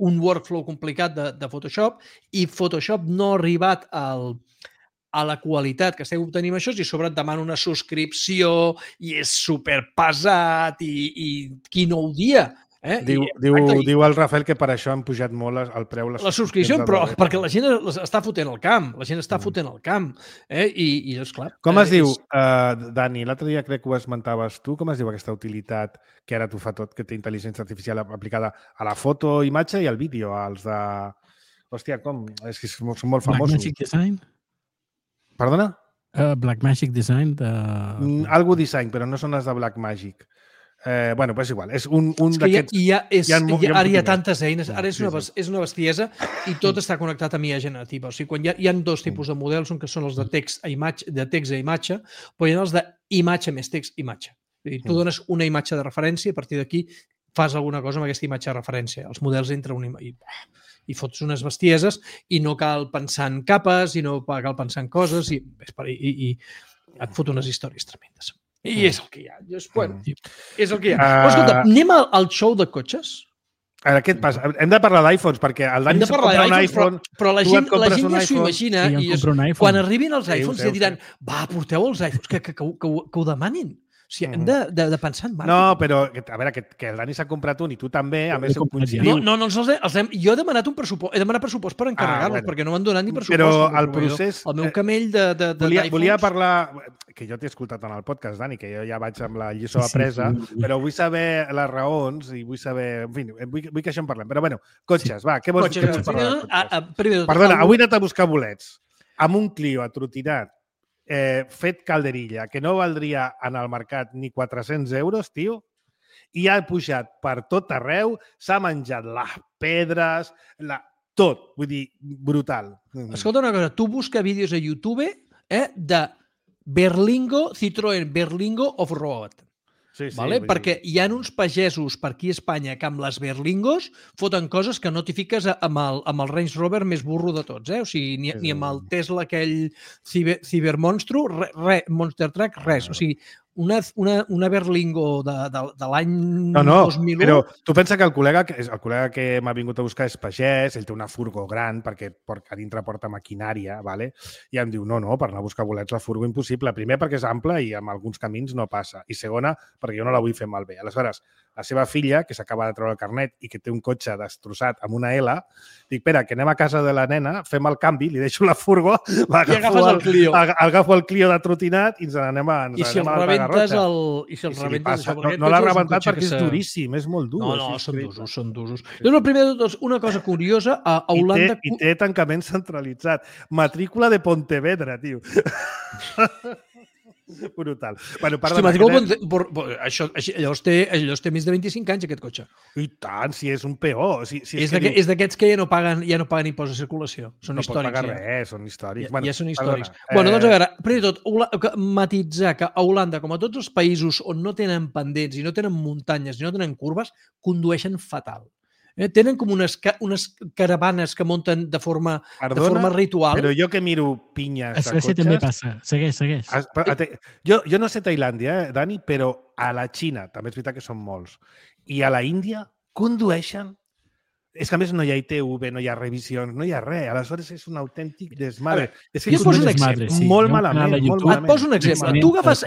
C: un workflow complicat de Photoshop i Photoshop no ha arribat a la qualitat que estem obtenint això i a sobre et demana una subscripció i és superpesat i quin nou dia.
B: Diu el Rafael que per això han pujat molt el preu.
C: La subscripció, però perquè la gent està fotent el camp. La gent està fotent el camp. I doncs, clar...
B: Com es diu, Dani? L'altre dia crec que ho esmentaves tu. Com es diu aquesta utilitat que ara t'ho fa tot, que té intel·ligència artificial aplicada a la foto, imatge i al vídeo? Els de... Hòstia, com? És que són molt famosos.
D: Blackmagic Design?
B: Perdona?
D: Blackmagic Design de...
B: Algo design, però no són les de Blackmagic. Bueno, és igual. És un d'aquests...
C: Ara hi ha tantes eines. Ara és una bestiesa i tot està connectat a IA generativa. O sigui, quan hi ha 2 tipus de models, que són els de text a imatge, però hi ha els d'imatge més text imatge. Tu dones una imatge de referència i a partir d'aquí fas alguna cosa amb aquesta imatge de referència. Els models entren i fots unes bestieses i no cal pensar en capes i no cal pensar en coses i et fot unes històries tremendes. I és el que hi ha. És el que hi ha. Però escolta, anem al show de cotxes?
B: Ara, què et passa? Hem de parlar d'iPhones, perquè el Dani se'n compra un iPhone,
C: però la gent ja s'ho imagina i quan arribin els iPhones ja diran, va, porteu els iPhones, que ho demanin. O sigui, hem de pensar en màrqueting.
B: No, però, a veure, que el Dani s'ha comprat un i tu també, a més coincidiu.
C: No, jo he demanat un pressupost, he demanat pressupost per encarregar-los, perquè no m'han donat ni pressupost.
B: Però el procés...
C: El meu camell d'iPhones...
B: Volia parlar, que jo t'he escoltat en el podcast, Dani, que jo ja vaig amb la lliçó apresa, però vull saber les raons i vull saber... En fi, vull que això en parlem. Però, bueno, cotxes, va, què vols parlar de cotxes? Perdona, avui he anat a buscar bolets amb un Clio atrotinat fet calderilla, que no valdria en el mercat ni 400 euros, tio, i ha pujat per tot arreu, s'ha menjat les pedres, tot, vull dir, brutal.
C: Escolta una cosa, tu busca vídeos a YouTube de Berlingo, Citroën Berlingo Off-Road. Vale? Perquè hi ha uns pagesos per aquí a Espanya que amb les Berlingos foten coses que no t'hi fiques amb el Range Rover més burro de tots. O sigui, ni amb el Tesla aquell Cybermonstru, Monster Truck, res. O sigui, una Berlingo de l'any 2001...
B: Però tu pensa que el col·lega que m'ha vingut a buscar és pagès, ell té una furgo gran perquè a dintre porta maquinària, ¿vale? I em diu, no, per anar a buscar bolets la furgo impossible. Primer, perquè és ample i en alguns camins no passa. I segona, perquè jo no la vull fer malbé. Aleshores, la seva filla, que s'acaba de treure el carnet i que té un cotxe destrossat amb una L, dic, espera, que anem a casa de la nena, fem el canvi, li deixo la furgo, agafo el Clio de trotinat i ens n'anem a no l'ha rebentat perquè és duríssim, és molt dur.
C: No, són duros. Llavors, primer de tot, una cosa curiosa, a Holanda...
B: I té tancament centralitzat. Matrícula de Pontevedra, tio. Brutal. Bueno,
C: llavors té més de 25 anys, aquest cotxe.
B: I tant, si és un PO.
C: És d'aquests que ja no paguen impost de circulació. Són històrics.
B: No pot pagar res, són històrics.
C: Ja són històrics. Doncs, a veure, primer de tot, matitzar que a Holanda, com a tots els països on no tenen pendents i no tenen muntanyes i no tenen curves, condueixen fatal. Tenen com unes caravanes que munten de forma ritual.
B: Però jo que miro pinyes de cotxes...
D: A Suècia també passa. Segueix.
B: Jo no sé Tailàndia, Dani, però a la Xina, també és veritat que són molts, i a la Índia condueixen... És que a més no hi ha ITV, no hi ha revisions, no hi ha res. Aleshores és un autèntic desmadre.
C: Jo poso un exemple.
B: Molt malament.
C: Et poso un exemple. Tu agafes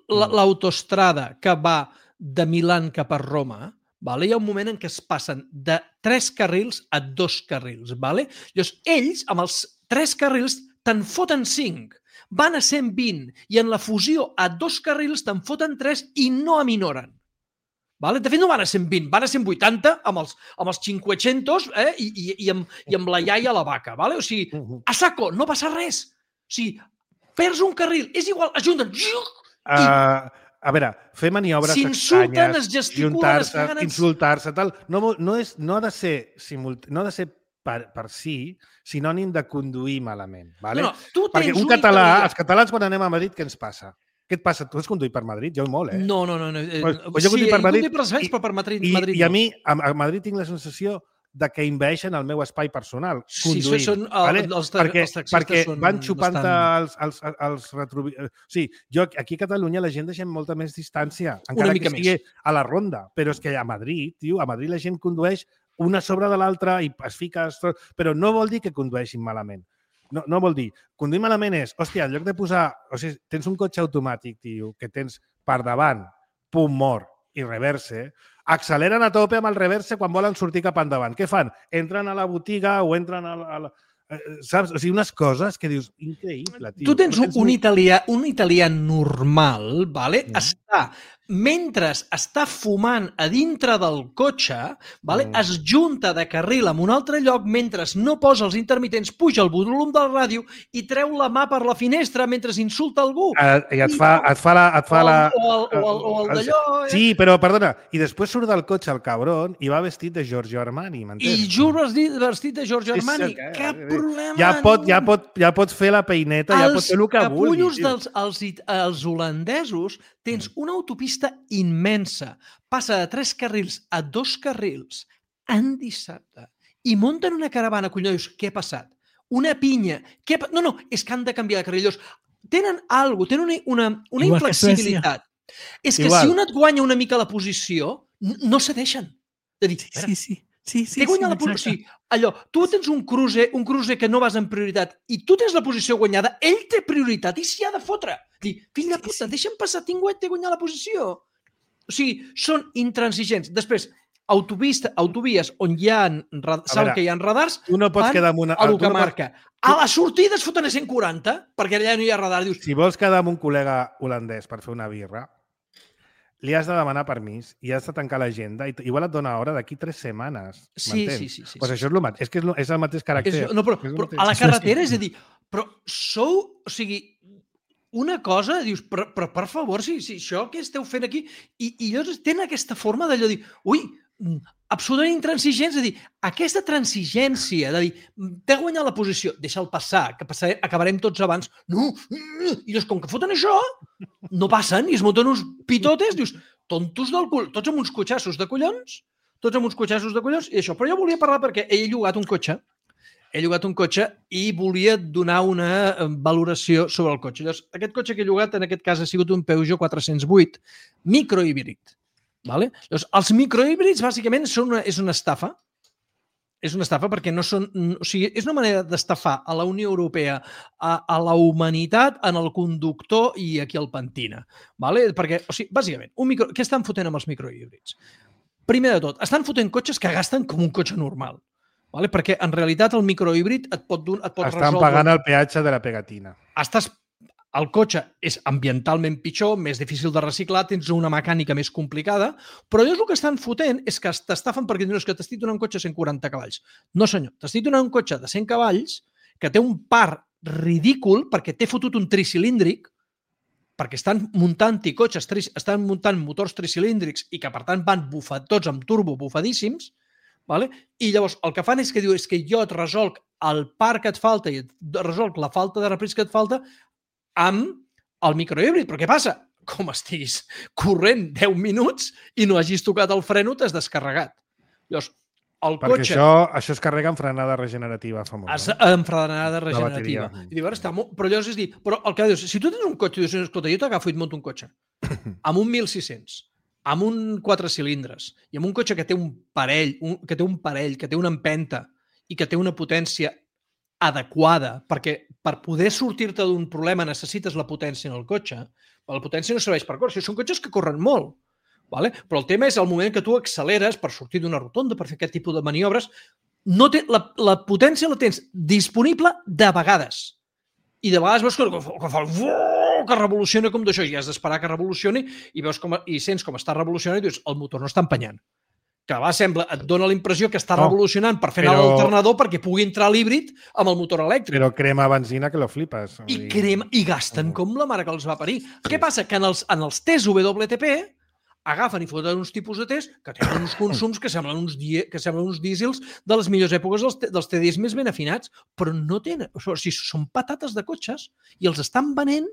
C: l'autostrada que va de Milà cap a Roma. Hi ha un moment en què es passen de 3 carrils a 2 carrils. Llavors, ells, amb els 3 carrils, te'n foten 5. Van a 120 i en la fusió a 2 carrils te'n foten 3 i no aminoren. De fet, no van a 120, van a 180 amb els 500 i amb la iaia a la vaca. O sigui, a saco, no passa res. O sigui, perds un carril, és igual, ajunten...
B: A veure, fer maniobres
C: s'insulten, es gesticulen,
B: insultar-se, tal. No ha de ser per si sinònim de conduir malament. Perquè els catalans quan anem a Madrid, què ens passa? Què et passa? Tu has conduït per Madrid? Jo molt,
C: No.
B: Jo conduït per Madrid
C: per Madrid.
B: I a mi, a Madrid tinc la sensació de que envaeixen el meu espai personal conduint. Perquè van xupant els retrovisors. Sí, aquí a Catalunya la gent deixem molta més distància, encara que estigui a la ronda. Però és que a Madrid, tio, a Madrid la gent condueix una sobre de l'altra i es fica... Però no vol dir que condueixin malament. No vol dir. Conduir malament és, hòstia, en lloc de posar... O sigui, tens un cotxe automàtic, tio, que tens per davant, punt mort i reverse, acceleren a tope amb el reverse quan volen sortir cap endavant. Què fan? Entren a la botiga o entren a la... Saps? O sigui, unes coses que dius, increïble, tio.
C: Tu tens un italià normal, mentre està fumant a dintre del cotxe, es junta de carril en un altre lloc mentre no posa els intermitents, puja el volum del ràdio i treu la mà per la finestra mentre insulta algú.
B: I et fa la...
C: O el d'allò...
B: Sí, però, perdona, i després surt del cotxe el cabron i va vestit de Giorgio Armani, m'entens?
C: I juro vestit de Giorgio Armani. Cap problema.
B: Ja pot fer la peineta, ja pot fer el que vulgui.
C: Els holandesos tens una autopista immensa. Passa de 3 carrils a 2 carrils en dissabte i munten una caravana, collons, què ha passat? Una pinya. No, és que han de canviar de carril. Tenen una inflexibilitat. És que si un et guanya una mica la posició, no cedeixen.
D: Sí,
C: guanyat la posició. Allò, tu tens un cruiser que no vas en prioritat i tu tens la posició guanyada, ell té prioritat i s'hi ha de fotre. Fill de puta, deixa'm passar, tinc guanyat la posició. O sigui, són intransigents. Després, autovies on hi ha saben que hi ha radars,
B: tu no pots quedar amb
C: a lo que marca. A la sortida es foten a 140, perquè allà no hi ha radar. Dius,
B: si vols quedar amb un col·lega holandès per fer una birra, li has de demanar permís i has de tancar l'agenda i igual et dona hora d'aquí 3 setmanes.
C: Sí.
B: Pues això és el mateix. És que és el mateix caràcter.
C: Però a la carretera, és a dir, però sou... O sigui, una cosa, dius, però per favor, si això que esteu fent aquí... I llavors tenen aquesta forma d'allò dir, ui, absolutament intransigents, és a dir, aquesta transigència de dir, t'he guanyat la posició, deixa'l passar, que acabarem tots abans. No, i llavors, com que foten això, no passen i es munten uns pitotes, dius, tontos del cul, tots amb uns cotxassos de collons, i això. Però jo volia parlar perquè he llogat un cotxe i volia donar una valoració sobre el cotxe. Llavors, aquest cotxe que he llogat, en aquest cas, ha sigut un Peugeot 408 microhíbrid. Vale? Llavors, els microhíbrids, bàsicament, és una estafa. És una estafa perquè no són... O sigui, és una manera d'estafar a la Unió Europea, a la humanitat, en el conductor i aquí al pentina. Vale? Perquè, o sigui, bàsicament, què estan fotent amb els microhíbrids? Primer de tot, estan fotent cotxes que gasten com un cotxe normal. Vale? Perquè, en realitat, el microhíbrid et pot resoldre...
B: Estan pagant el peatge de la pegatina.
C: El cotxe és ambientalment pitjor, més difícil de reciclar, tens una mecànica més complicada, però llavors el que estan fotent és que t'estafen perquè dius que t'estic donant un cotxe de 140 cavalls. No, senyor, t'estic donant un cotxe de 100 cavalls que té un par ridícul perquè t'he fotut un tricilíndric, perquè estan muntant motors tricilíndrics i que, per tant, van tots amb turbo bufadíssims, vale? I llavors el que fan és que diu que jo et resolc el par que et falta i et resolc la falta de repris que et falta amb el microhíbrid. Però què passa? Com estiguis corrent 10 minuts i no hagis tocat el freno, t'has descarregat. Llavors, el cotxe...
B: Perquè això es carrega amb frenada regenerativa famosa.
C: Amb frenada regenerativa. I diu, està molt... Però llavors és dir, però el que dius, si tu tens un cotxe i dius, escolta, jo t'agafo i et monto un cotxe amb un 1.600, amb un 4 cilindres i amb un cotxe que té un parell, que té una empenta i que té una potència adequada, perquè per poder sortir-te d'un problema necessites la potència en el cotxe. La potència no serveix per córrer. Són cotxes que corren molt. Vale? Però el tema és el moment que tu acceleres per sortir d'una rotonda, per fer aquest tipus de maniobres. La potència la tens disponible de vegades. I de vegades veus que revoluciona com d'això. I has d'esperar que revolucioni i sents com està revolucionant i dius, el motor no està empenyant. Que et dona la impressió que està revolucionant per fer anar l'alternador perquè pugui entrar l'híbrid amb el motor elèctric.
B: Però crema benzina que lo flipes.
C: I gasten com la mare que els va parir. Què passa? Que en els tests WLTP agafen i foten uns tipus de tests que tenen uns consums que semblen uns dísels de les millors èpoques dels TDIs més ben afinats, però no tenen... O sigui, són patates de cotxes i els estan venent,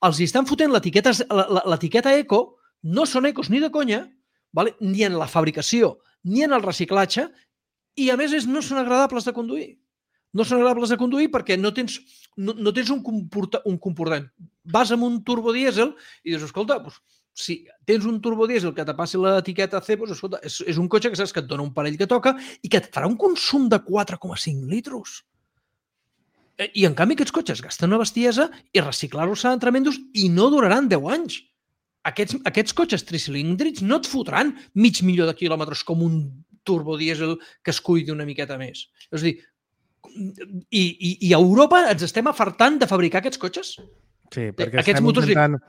C: els hi estan fotent l'etiqueta eco, no són ecos ni de conya, vale? Ni en la fabricació, ni en el reciclatge, i a més no són agradables de conduir. No són agradables de conduir perquè no tens un comportament. Vas amb un turbodièsel i dius, escolta, si tens un turbodièsel que te passi l'etiqueta C, escolta, és un cotxe que saps que et dona un parell que toca i que et farà un consum de 4,5 litros. I en canvi aquests cotxes gasten una bestiesa i reciclar-los seran tremendos i no duraran 10 anys. Aquests cotxes tricilíndrics no et fotran 500.000 de quilòmetres com un turbodièsel que es cuidi una miqueta més. És a dir, i a Europa ens estem afartant de fabricar aquests cotxes?
B: Sí, perquè estem intentant...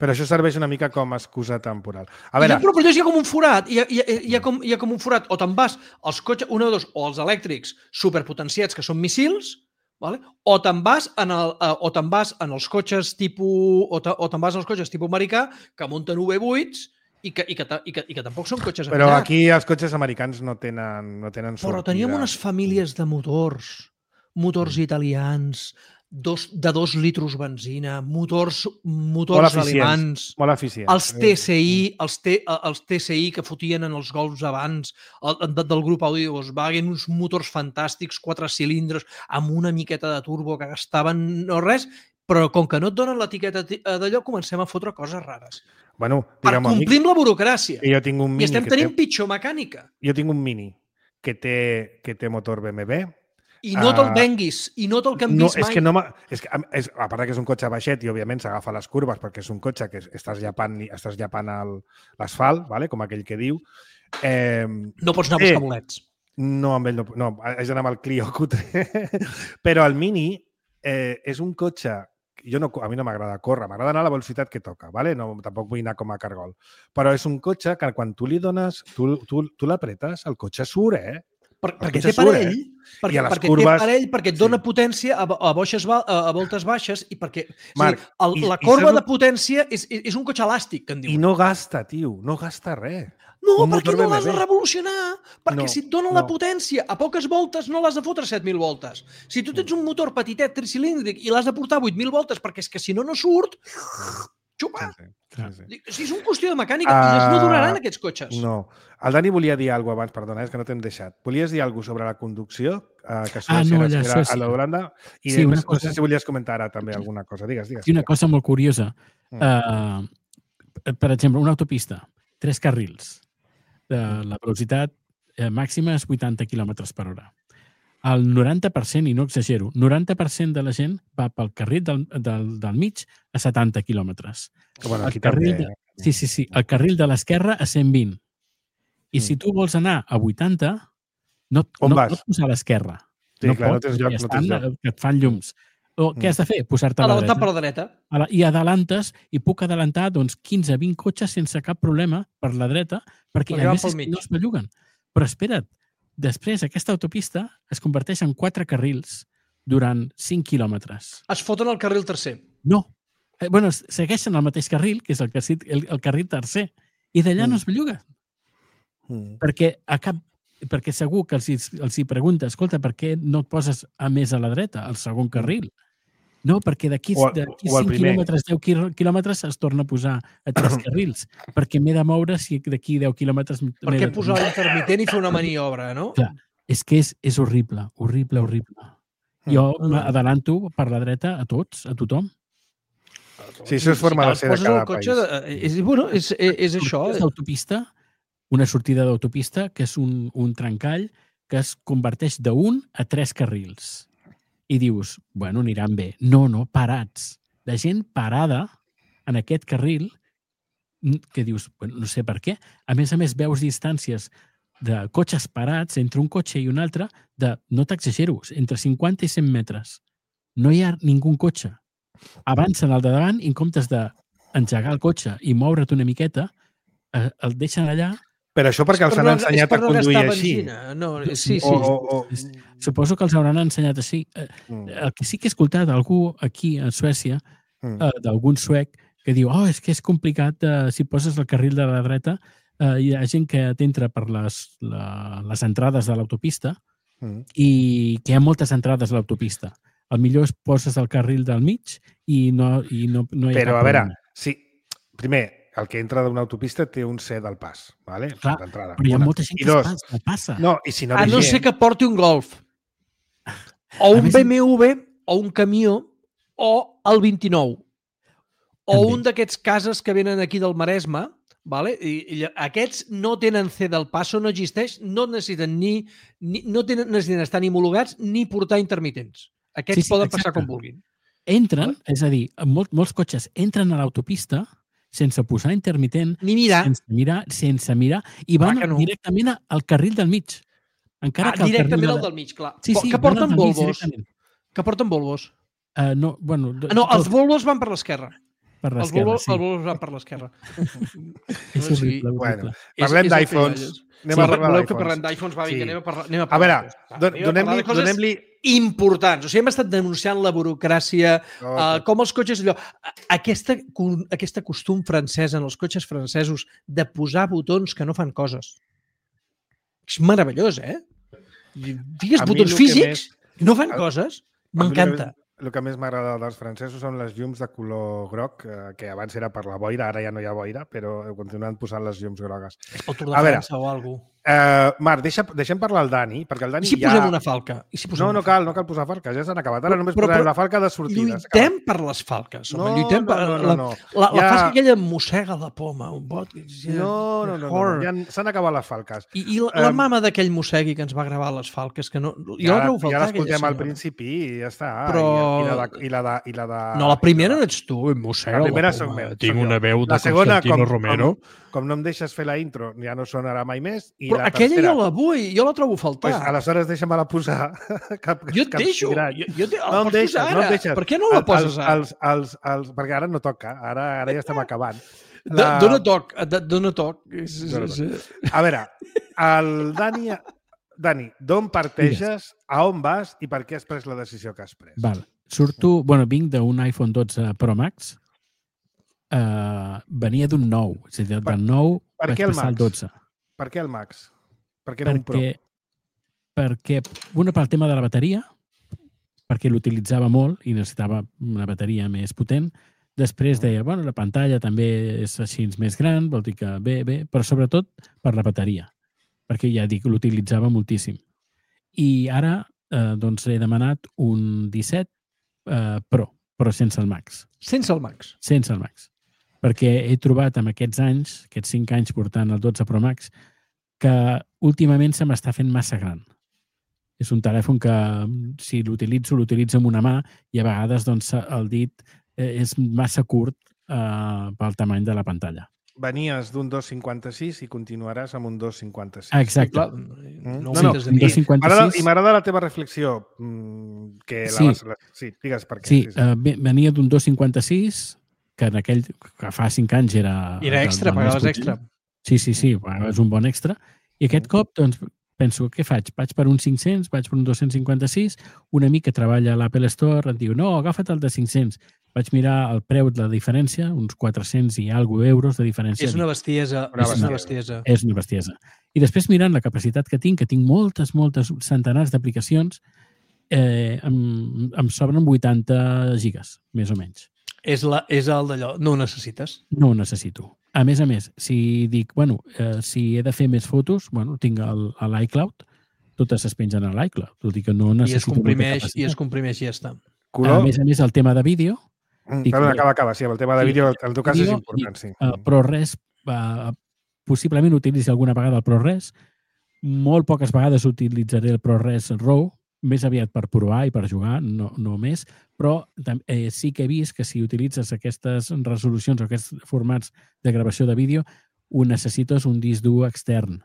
B: Però això serveix una mica com a excusa temporal. A veure...
C: Però hi ha com un forat. Hi ha com un forat. O te'n vas als cotxes, o els elèctrics superpotenciats, que són missils, vale? O te'n vas en els cotxes tipus americà que munten V8s i que tampoc són cotxes
B: americans. Però aquí els cotxes americans no tenen sortida.
C: Però teníem unes famílies de motors italians, de 2 litros benzina, motors alemans,
B: molt eficients.
C: Els TSI que fotien en els Golfs abans, del grup Audi i Volkswagen, uns motors fantàstics, 4 cilindres, amb una miqueta de turbo que gastaven no res, però com que no et donen l'etiqueta d'allò, comencem a fotre coses rares.
B: Bueno,
C: per complir amb la burocràcia.
B: I
C: estem tenint pitjor mecànica.
B: Jo tinc un Mini que té motor BMW,
C: I no te'l venguis, i no te'l canvis mai.
B: És que, a part que és un cotxe baixet i, òbviament, s'agafa les curves perquè és un cotxe que estàs llapant l'asfalt, vale? Com aquell que diu.
C: No pots anar a buscar bolets.
B: No, amb ell no. Haig d'anar amb el Clio cutre. Però el Mini és un cotxe... A mi no m'agrada córrer, m'agrada anar a la velocitat que toca, vale? No, tampoc vull anar com a cargol. Però és un cotxe que quan tu li dones, tu l'apretes, el cotxe surt,
C: Perquè té parell, perquè et dona potència a voltes baixes i perquè la corba de potència és un cotxe elàstic, que en diuen.
B: I no gasta, tio, no gasta res.
C: No, perquè no l'has de revolucionar. Perquè si et dona la potència a poques voltes no l'has de fotre 7.000 voltes. Si tu tens un motor petitet tricilíndric i l'has de portar 8.000 voltes perquè és que si no surt... Xupa! Sí, és una qüestió de mecànica i no duraran aquests cotxes.
B: No. El Dani volia dir alguna cosa abans, perdona, és que no t'hem deixat. Volies dir alguna cosa sobre la conducció? Que Suècia a l'Holanda? I no sé si volies comentar ara també alguna cosa. Digues.
D: Sí, una cosa molt curiosa. Per exemple, una autopista, 3 carrils. La velocitat màxima és 80 km per hora. El 90%, i no exagero, 90% de la gent va pel carril del mig a 70 quilòmetres.
B: Bueno,
D: el carril de l'esquerra a 120. I si tu vols anar a 80, no pots posar a l'esquerra.
B: Sí, clar, no tens lloc.
D: Que et fan llums. Què has de fer? Posar-te a la dreta.
C: Per la dreta.
D: I adelantes, i puc adelantar 15-20 cotxes sense cap problema per la dreta, perquè a més no es belluguen. Però espera't, després aquesta autopista es converteix en 4 carrils durant 5 quilòmetres.
C: Es foten al carril tercer.
D: No. Bueno, segueixen el mateix carril, que és el carril tercer, i d'allà no es belluga. Perquè segur que els hi pregunta, escolta, per què no et poses a més a la dreta, al segon carril? No, perquè d'aquí 5 quilòmetres, 10 quilòmetres es torna a posar a 3 carrils, perquè m'he de moure si d'aquí 10 quilòmetres...
C: Per què posar l'intermitent i fer una maniobra, no?
D: Clar, és que és horrible. Jo m'adelanto per la dreta a tots, a tothom.
B: Sí, això és forma de ser de cada país.
C: És això.
D: Una sortida d'autopista que és un trencall que es converteix d'1 a 3 carrils. I dius, bueno, aniran bé. No, parats. La gent parada en aquest carril que dius, bueno, no sé per què. A més, veus distàncies de cotxes parats entre un cotxe i un altre de, no t'exagero, entre 50 i 100 metres. No hi ha ningú cotxe. Avancen al de davant i en comptes d'engegar el cotxe i moure't una miqueta, el deixen allà.
B: Però això perquè els han ensenyat a conduir així.
C: Sí.
D: Suposo que els hauran ensenyat així. El que sí que he escoltat algú aquí a Suècia, d'algun suec, que diu, és que és complicat si poses el carril de la dreta, hi ha gent que t'entra per les entrades de l'autopista i que hi ha moltes entrades a l'autopista. El millor és poses el carril del mig i no hi ha cap problema.
B: Però, a veure, sí, primer, el que entra d'una autopista té un C del pas, ¿vale?
D: Clar, però hi ha molta gent que passa.
B: No, i si no
C: a no ser que porti un Golf, o un BMW, o un camió, o el 29, o un d'aquests cases que venen aquí del Maresme, ¿vale? I aquests no tenen C del passo, no existeix, no necessiten necessiten estar ni homologats ni portar intermitents. Aquests poden passar com vulguin.
D: Entren, és a dir, molts cotxes entren a l'autopista sense posar intermitent,
C: ni mirar.
D: Sense mirar, i van directament al carril del mig.
C: Directament al del mig, clar. Que porten Volvos. Que porten Volvos.
D: No,
C: els Volvos van per l'esquerra.
D: Per l'esquerra,
C: Els Volvos van per l'esquerra.
D: És horrible.
B: Bueno, parlem d'iPhones.
C: Voleu que parlem d'iPhones? Va, vinga, anem a parlar.
B: A veure, donem-li
C: importants. O sigui, hem estat denunciant la burocràcia, com els cotxes... Aquesta costum francès en els cotxes francesos de posar botons que no fan coses. És meravellós, Digues botons físics, no fan coses. M'encanta.
B: El que més m'agrada dels francesos són les llums de color groc, que abans era per la boira, ara ja no hi ha boira, però continuen posant les llums grogues.
C: El Tour de França o alguna cosa.
B: Marc, deixem parlar el Dani, perquè el Dani
C: I si posem una falca?
B: No cal posar falques, ja s'han acabat. Ara només posarem la falca de sortida.
C: Lluitem per les falques, home. Lluitem per... La falca aquella mossega la poma, un bot...
B: No. Ja s'han acabat les falques.
C: I la mama d'aquell mossegui que ens va gravar les falques, que no... Ja
B: l'escoltem al principi i ja està. I la de...
C: No, la primera no ets tu, mossega la poma. Tinc una veu de Constantino Romero.
B: Com no em deixes fer la intro, ja no sonarà mai més.
C: Però aquella jo la vull, jo la trobo a faltar.
B: Aleshores deixa'm-la posar.
C: Jo et deixo.
B: No em deixes.
C: Per què no la poses ara?
B: Perquè ara no toca, ara ja estem acabant.
C: Dóna toc.
B: A veure, el Dani, d'on parteges, a on vas i per què has pres la decisió que has pres?
D: Val. Vinc d'un iPhone 12 Pro Max. Venia d'un 9. És a dir, del 9 vaig passar al 12.
B: Per què el Max? Per què no un Pro?
D: Perquè una pel tema de la bateria, perquè l'utilitzava molt i necessitava una bateria més potent. Després deia, la pantalla també és així més gran, vol dir que bé, però sobretot per la bateria, perquè ja dic, l'utilitzava moltíssim. I ara he demanat un 17 Pro, però sense el Max.
C: Sense el Max?
D: Sense el Max. Perquè he trobat amb aquests anys, aquests 5 anys portant el 12 Pro Max, que últimament se m'està fent massa gran. És un telèfon que, si l'utilitzo amb una mà i a vegades el dit és massa curt pel tamany de la pantalla.
B: Venies d'un 2,56 i continuaràs amb un 2,56.
D: Exacte.
B: I m'agrada la teva reflexió. Sí, digues per què.
D: Sí, venia d'un 2,56, que fa 5 anys era...
C: Era extra, pagaves extra.
D: Sí, pagaves un bon extra. I aquest cop, penso, què faig? Vaig per un 500, vaig per un 256, un amic que treballa a l'Apple Store em diu, no, agafa't el de 500. Vaig mirar el preu de la diferència, uns 400 i alguna euros de diferència.
C: És una bestiesa.
D: És una bestiesa. I després mirant la capacitat que tinc moltes centenars d'aplicacions, em sobren 80 gigas, més o menys.
C: És el d'allò, no ho necessites?
D: No ho necessito. A més, si dic, si he de fer més fotos, tinc l'iCloud, totes es pengen a l'iCloud. Tot i que no necessito
C: I es comprimeix i ja està.
D: A més, el tema de vídeo...
B: Acaba, sí, el tema de vídeo, en tot cas és important, sí.
D: ProRes, possiblement utilitzi alguna vegada el ProRes, molt poques vegades utilitzaré el ProRes RAW, més aviat per provar i per jugar, no més, però sí que he vist que si utilitzes aquestes resolucions o aquests formats de gravació de vídeo, ho necessites un disc dur extern.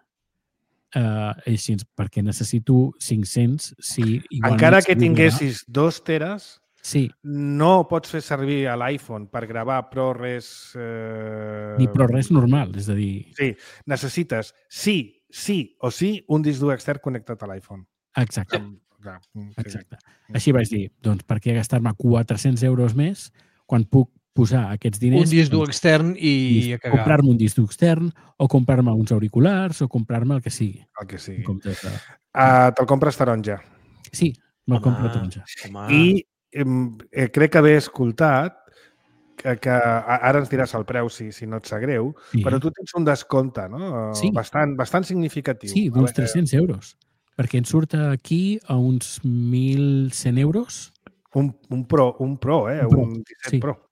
D: Així, perquè necessito 500 si...
B: Encara que tinguessis 2 teres,
D: sí.
B: No pots fer servir a l'iPhone per gravar ProRes...
D: Ni ProRes normal, és a dir...
B: Sí, necessites sí o sí un disc dur extern connectat a l'iPhone.
D: Exacte. Exacte. Així vaig dir, per què gastar-me 400 euros més quan puc posar aquests diners...
C: Un disc dur extern i a cagar.
D: Comprar-me un disc dur extern o comprar-me uns auriculars o comprar-me el que sigui.
B: El que sigui. Te'l compres taronja.
D: Sí, me'l compro taronja.
B: I crec que haver escoltat que ara ens diràs el preu si no et sap greu, però tu tens un descompte, no?
D: Sí.
B: Bastant significatiu.
D: Sí, d'uns 300 euros. Perquè ens surt aquí a uns 1.100 euros.
B: Un Pro, un 17 Pro.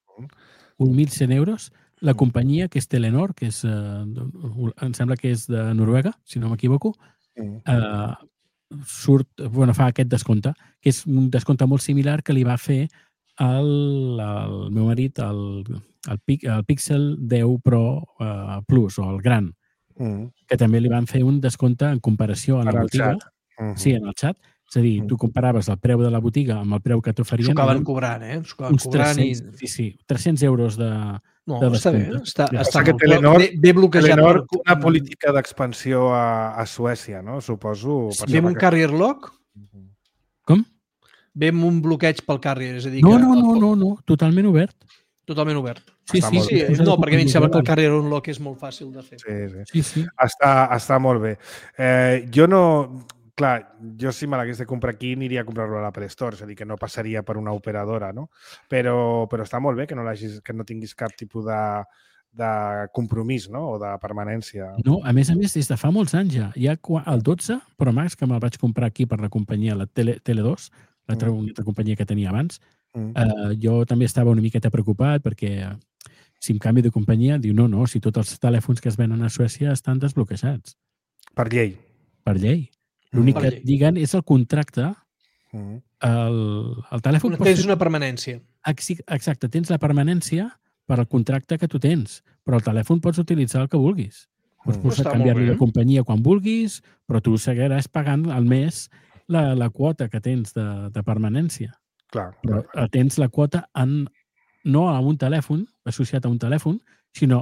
D: Un 1.100 euros. La companyia, que és Telenor, que em sembla que és de Noruega, si no m'equivoco, fa aquest descompte, que és un descompte molt similar que li va fer al meu marit el Pixel 10 Pro Plus, o el Gran, que també li van fer un descompte en comparació a la botiga. Sí, en el xat. És a dir, tu comparaves el preu de la botiga amb el preu que t'oferien.
C: S'ho acaben cobrant,
D: Uns 300 euros de descompte.
C: Està bé. Bé bloquejat.
B: Telenor, una política d'expansió a Suècia, no? Suposo...
C: Ve amb un carrier lock?
D: Com?
C: Ve amb un bloqueig pel carrier, és a dir...
D: No, totalment obert.
C: Totalment obert.
D: Sí.
C: No, perquè a mi em sembla que el carrier unlock és molt fàcil de fer.
B: Sí. Està molt bé. Jo no... Clar, jo si me l'hagués de comprar aquí aniria a comprar-lo a l'Apple Store, és a dir, que no passaria per una operadora, no? Però està molt bé que no tinguis cap tipus compromís, no? O de permanència.
D: No, a més, des de fa molts anys ja. Hi ha el 12 Pro Max, que me'l vaig comprar aquí per la companyia, la Tele2, l'altra companyia que tenia abans. Jo també estava una miqueta preocupat perquè si em canvi de companyia, diu no, si tots els telèfons que es venen a Suècia estan desbloquejats.
B: Per llei.
D: Per llei. L'únic que et diguen és el contracte. El telèfon...
C: Tens una permanència.
D: Exacte, tens la permanència per al contracte que tu tens, però el telèfon pots utilitzar el que vulguis. Pots canviar-li de companyia quan vulguis, però tu seguiràs pagant al mes la quota que tens de permanència.
B: Clar.
D: Però tens la quota no a un telèfon, associat a un telèfon, sinó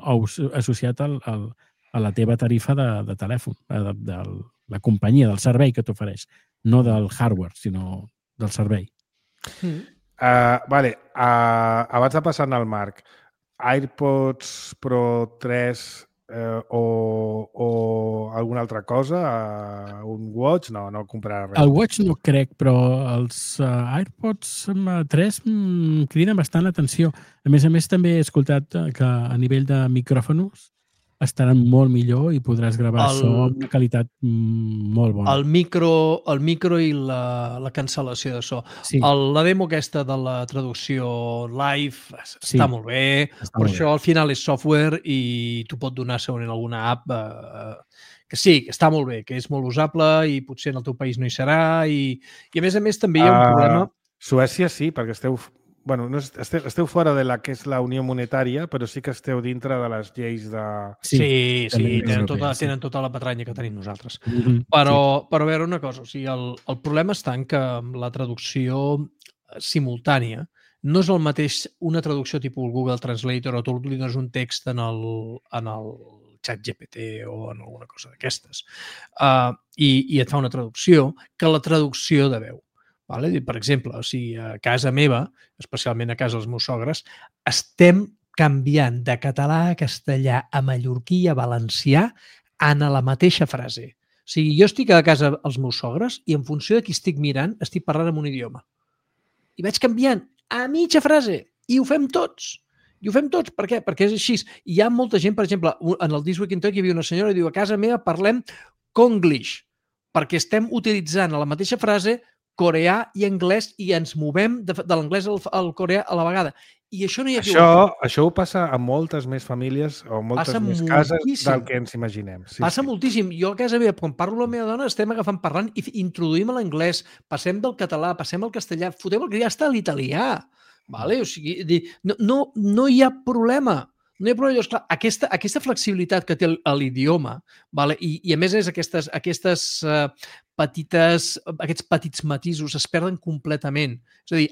D: associat a la teva tarifa de telèfon, de la companyia, del servei que t'ofereix. No del hardware, sinó del servei.
B: Vale. Abans de passar al Marc, AirPods Pro 3 o alguna altra cosa? Un Watch? No comprarà res.
D: El Watch no crec, però els AirPods 3 criden bastant l'atenció. A més, també he escoltat que a nivell de micròfons estaran molt millor i podràs gravar so amb una qualitat molt bona.
C: El micro i la cancel·lació de so. Sí. La demo aquesta de la traducció live està molt bé, però això al final és software i t'ho pot donar segurament alguna app que sí, que està molt bé, que és molt usable i potser en el teu país no hi serà i a més també hi ha un problema...
B: Suècia sí, perquè esteu fora de la que és la Unió Monetària, però sí que esteu dintre de les lleis de...
C: Sí, tenen tota la patranya que tenim nosaltres. Però a veure una cosa, o sigui, el problema està en que la traducció simultània no és el mateix una traducció tipus Google Translator o tu li dones un text en el xat GPT o en alguna cosa d'aquestes i et fa una traducció que la traducció de veu. Per exemple, a casa meva, especialment a casa dels meus sogres, estem canviant de català a castellà, a mallorquí i a valencià en la mateixa frase. O sigui, jo estic a casa als meus sogres i en funció de qui estic mirant estic parlant en un idioma. I vaig canviant a mitja frase i ho fem tots. Per què? Perquè és així. Hi ha molta gent, per exemple, en el This Week in Tech hi havia una senyora que diu a casa meva parlem conglish perquè estem utilitzant a la mateixa frase coreà i anglès i ens movem de l'anglès al coreà a la vegada. I això no hi ha...
B: Això ho passa a moltes més famílies o moltes més cases del que ens imaginem.
C: Passa moltíssim. Jo a casa meva, quan parlo amb la meva dona, estem agafant parlant i introduïm l'anglès, passem del català, passem al castellà, fotem el que ja està a l'italià. O sigui, no hi ha problema. No hi ha problema. Clar, aquesta flexibilitat que té l'idioma i a més aquests petits matisos es perden completament. És a dir,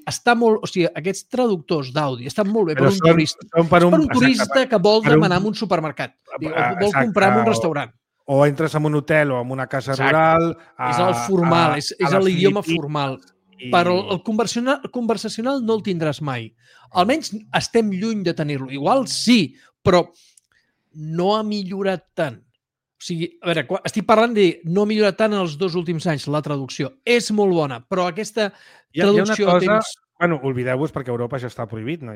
C: aquests traductors d'àudio estan molt bé per un turista. Per un turista que vol demanar en un supermercat o vol comprar en un restaurant.
B: O entres en un hotel o en una casa rural...
C: És el formal, és l'idioma formal. Però el conversacional no el tindràs mai. Almenys estem lluny de tenir-lo. Igual sí, però no ha millorat tant. O sigui, a veure, estic parlant de no ha millorat tant en els 2 últims anys la traducció. És molt bona, però aquesta traducció...
B: Hi ha una cosa... Bueno, oblideu-vos perquè a Europa això està prohibit, no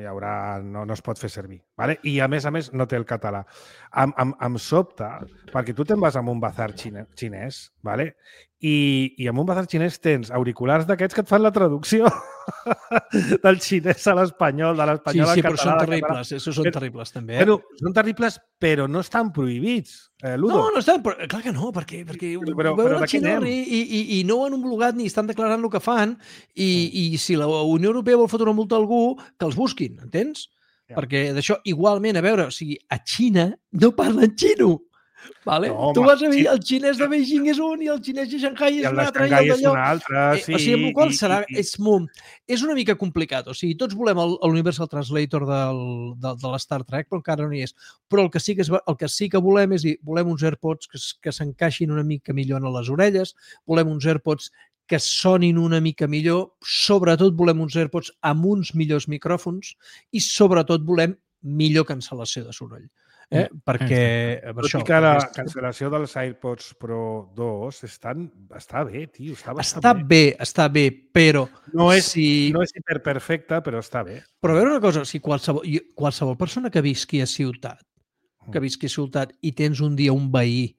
B: es pot fer servir. I a més no té el català. Em sobta, perquè tu te'n vas a un bazar xinès, i en un bazar xinès tens auriculars d'aquests que et fan la traducció del xinès a l'espanyol, de l'espanyol al català.
C: Sí, però són terribles, són terribles també.
B: Són terribles, però no estan prohibits, Ludo.
C: No estan, clar que no, perquè ho veuen al xinès i no ho han homologat ni estan declarant el que fan i si la Unió Europea vol fotre una multa a algú, que els busquin, entens? Perquè d'això, igualment, a veure, a Xina no parlen xino. Tu vas a dir, el xinès de Beijing és un i el xinès de Shanghai és un altre.
B: I el de Shanghai és un altre, sí.
C: O sigui, amb el qual serà... És una mica complicat. O sigui, tots volem l'Universal Translator de l'Star Trek, però encara no hi és. Però el que sí que volem és dir, volem uns AirPods que s'encaixin una mica millor a les orelles, volem uns AirPods que sonin una mica millor, sobretot volem uns AirPods amb uns millors micròfons i sobretot volem millor cancel·lació de soroll. Perquè
B: tot i que la cancel·lació dels AirPods Pro 2 està bé, tio.
C: Està bé, però...
B: No és hiperperfecte, però està bé.
C: Però a veure una cosa, si qualsevol persona que visqui a ciutat que visqui a ciutat i tens un dia un veí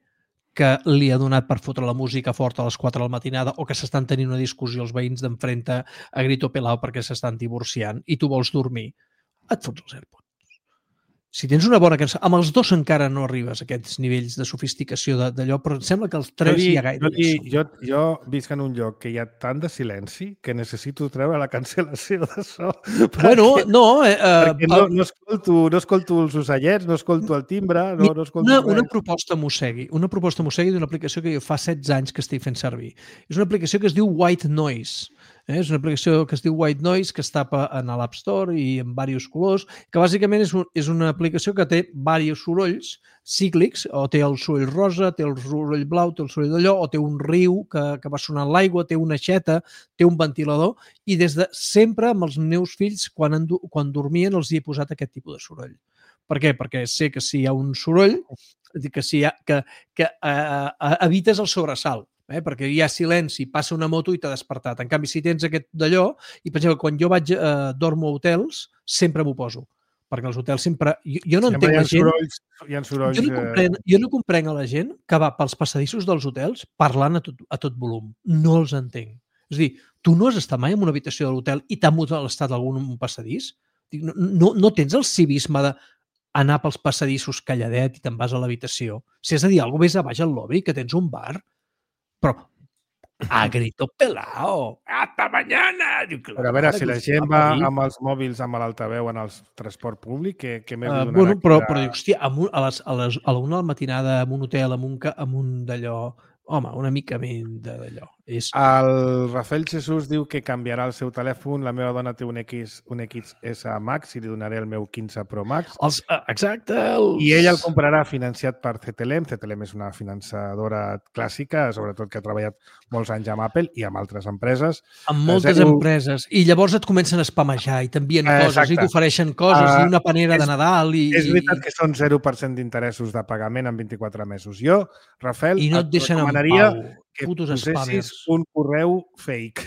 C: que li ha donat per fotre la música forta a les 4 de la matinada o que s'estan tenint una discussió els veïns d'enfrente a grito pelao perquè s'estan divorciant i tu vols dormir, et fots els AirPods. Si tens una bona cançó... Amb els dos encara no arribes a aquests nivells de sofisticació d'allò, però em sembla que els tres hi ha gaire.
B: Jo visc en un lloc que hi ha tant de silenci que necessito treure la cancel·lació de so.
C: Bueno, no...
B: no escolto els ocellets, no escolto el timbre, no escolto
C: una proposta Mossegui d'una aplicació que jo fa 16 anys que estic fent servir. És una aplicació que es diu White Noise. És una aplicació que es diu White Noise, que es tapa en l'App Store i en diversos colors, que bàsicament és una aplicació que té diversos sorolls cíclics, o té el soroll rosa, té el soroll blau, té el soroll d'allò, o té un riu que va sonant l'aigua, té una aixeta, té un ventilador, i des de sempre amb els meus fills, quan dormien, els hi he posat aquest tipus de soroll. Per què? Perquè sé que si hi ha un soroll, que evites el sobresalt. Perquè hi ha silenci, passa una moto i t'ha despertat. En canvi, si tens aquest d'allò, i per exemple, quan jo dormo a hotels, sempre m'ho poso. Perquè els hotels sempre... Jo no entenc la gent...
B: Hi ha sorolls...
C: Jo no comprenc a la gent que va pels passadissos dels hotels parlant a tot volum. No els entenc. És a dir, tu no has estat mai en una habitació de l'hotel i t'ha molestat algun passadís? No tens el civisme d'anar pels passadissos calladet i te'n vas a l'habitació. Si has de dir alguna cosa, ves a baix al lobby, que tens un bar. Però a grito pelao, hasta mañana.
B: Però a veure, si la gent va amb els mòbils amb l'altaveu en el transport públic, què més li donarà?
C: Bueno, però dic, hòstia, a la 1 de la matinada en un hotel, amb un d'allò... Home, una mica menys d'allò.
B: El Rafael Jesús diu que canviarà el seu telèfon. La meva dona té un XS Max i li donaré el meu 15 Pro Max.
C: Exacte.
B: I ell el comprarà financiat per CTLM. CTLM és una finançadora clàssica, sobretot que ha treballat molts anys amb Apple i amb altres empreses.
C: Amb moltes empreses. I llavors et comencen a spamejar i t'envien coses i t'ofereixen coses i una panera de Nadal.
B: És veritat que són 0% d'interessos de pagament en 24 mesos. Jo, Rafael,
C: i no et deixen en pau.
B: Que
C: putos
B: posessis un correu fake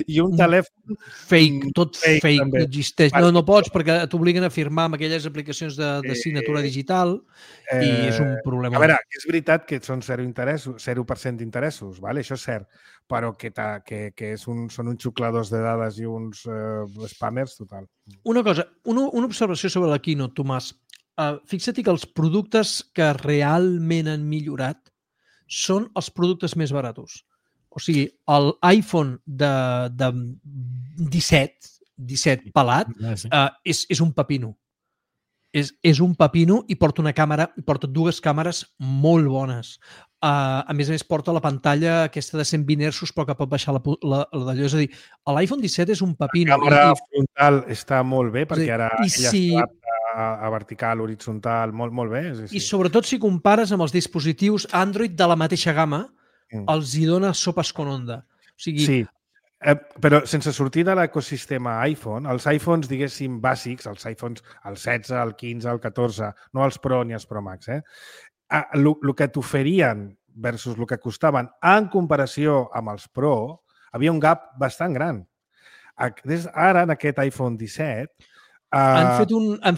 B: i un telèfon
C: fake, tot fake no existeix. No pots perquè t'obliguen a firmar amb aquelles aplicacions de signatura digital i és un problema.
B: A veure, és veritat que són 0% d'interessos, vale? Això és cert, però que són uns xucladors de dades i uns spammers total.
C: Una cosa, una observació sobre la Keynote, Tomàs. Fixa't que els productes que realment han millorat són els productes més baratos. O sigui, l'iPhone de 17 pelat és un pepino. És un pepino i porta una càmera, porta 2 càmeres molt bones. A més, porta la pantalla aquesta de 120 Hz, però que pot baixar la d'allò. És a dir, l'iPhone 17 és un pepino.
B: La càmera frontal està molt bé, perquè ara ella s'adapta a vertical, horitzontal, molt bé.
C: I sobretot si compares amb els dispositius Android de la mateixa gamma, els hi dona sopes con onda. O sigui,
B: sí, però sense sortir de l'ecosistema iPhone, els iPhones, diguéssim, bàsics, els iPhones, el 16, el 15, el 14, no els Pro ni els Pro Max, el que t'oferien versus el que costaven en comparació amb els Pro, havia un gap bastant gran. Ara, en aquest iPhone 17,
C: han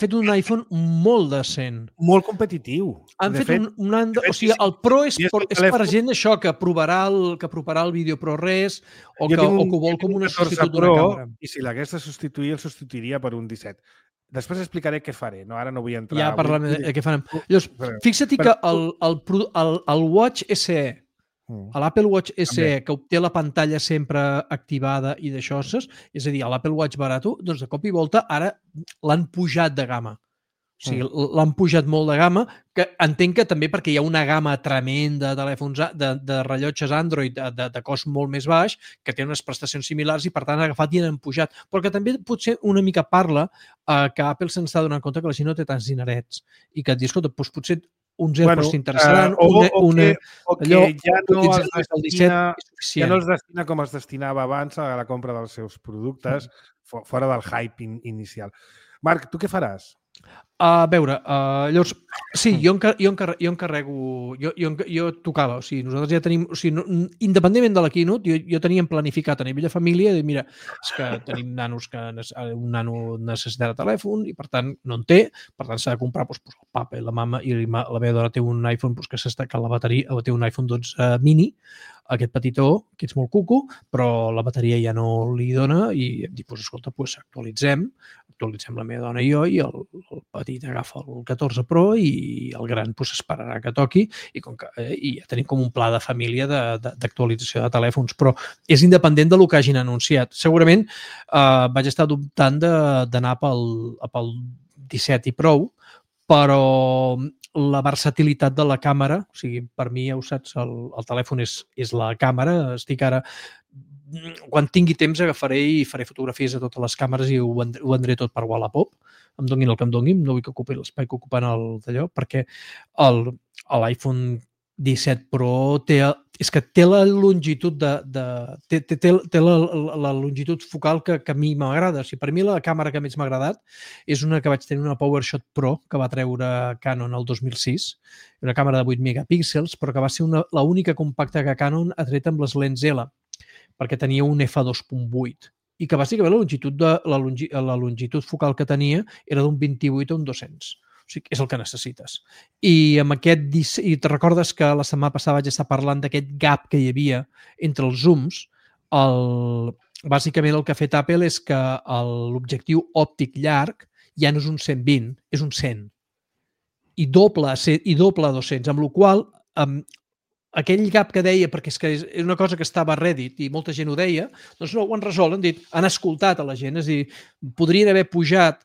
C: fet un iPhone molt decent.
B: Molt competitiu.
C: Han fet o sigui, el Pro és per gent això que provarà el vídeo ProRes o que ho vol com una substitut d'una càmera.
B: I si l'hagués de substituir, el substituiria per un 17. Després explicaré què faré. Ara no vull entrar...
C: Ja parlem de què farem. Llavors, fixa't que el Watch SE, l'Apple Watch SE, que té la pantalla sempre activada i d'això, és a dir, l'Apple Watch barato, doncs de cop i volta ara l'han pujat de gamma. O sigui, l'han pujat molt de gamma, que entenc que també perquè hi ha una gamma tremenda de telèfons, de rellotges Android de cost molt més baix, que té unes prestacions similars i per tant han agafat i han pujat. Però que també potser una mica parla que Apple se'n està donant compte que la gent no té tants dinerets i que et dius, escolta, doncs potser uns AirPods t'interessaran,
B: ja no els destina com es destinava abans a la compra dels seus productes, fora del hype inicial. Marc, tu què faràs?
C: A veure, llavors, sí, jo encarrego, jo tocava, o sigui, nosaltres ja tenim, o sigui, independentment de la Keynote, jo tenia planificat a nivell de família, de mira, és que tenim nanos que un nano necessitarà telèfon i per tant no en té, per tant s'ha de comprar el papa i la mama, i la meva dona té un iPhone que la bateria, té un iPhone 12 mini, aquest petitó, que és molt cuco, però la bateria ja no li dona i hem dit, escolta, actualitzem la meva dona i jo, i el petit agafa el 14 Pro i el gran esperarà que toqui i ja tenim com un pla de família d'actualització de telèfons, però és independent del que hagin anunciat. Segurament vaig estar dubtant d'anar pel 17 i prou, però la versatilitat de la càmera, o sigui, per mi, ja ho saps, el telèfon és la càmera. Estic ara, quan tingui temps, agafaré i faré fotografies a totes les càmeres i ho vendré tot per Wallapop. Em donguin el que em donguin, no vull que ocupi l'espai que ocupen d'allò, perquè l'iPhone 17 Pro té la longitud té la longitud focal que a mi m'agrada. O sigui, per mi la càmera que més m'ha agradat és una que vaig tenir, una PowerShot Pro, que va treure Canon el 2006, una càmera de 8 megapíxels, però que va ser l'única compacta que Canon ha tret amb les lents L, perquè tenia un f2.8 i que bàsicament la longitud focal que tenia era d'un 28 a un 200. O sigui, és el que necessites. I te recordes que la setmana passada vaig estar parlant d'aquest gap que hi havia entre els zooms? Bàsicament el que ha fet Apple és que l'objectiu òptic llarg ja no és un 120, és un 100. I doble a 200, amb la qual aquell gap que deia, perquè és que és una cosa que estava a Reddit i molta gent ho deia, doncs no, ho han resolt, han escoltat a la gent, és a dir, podrien haver pujat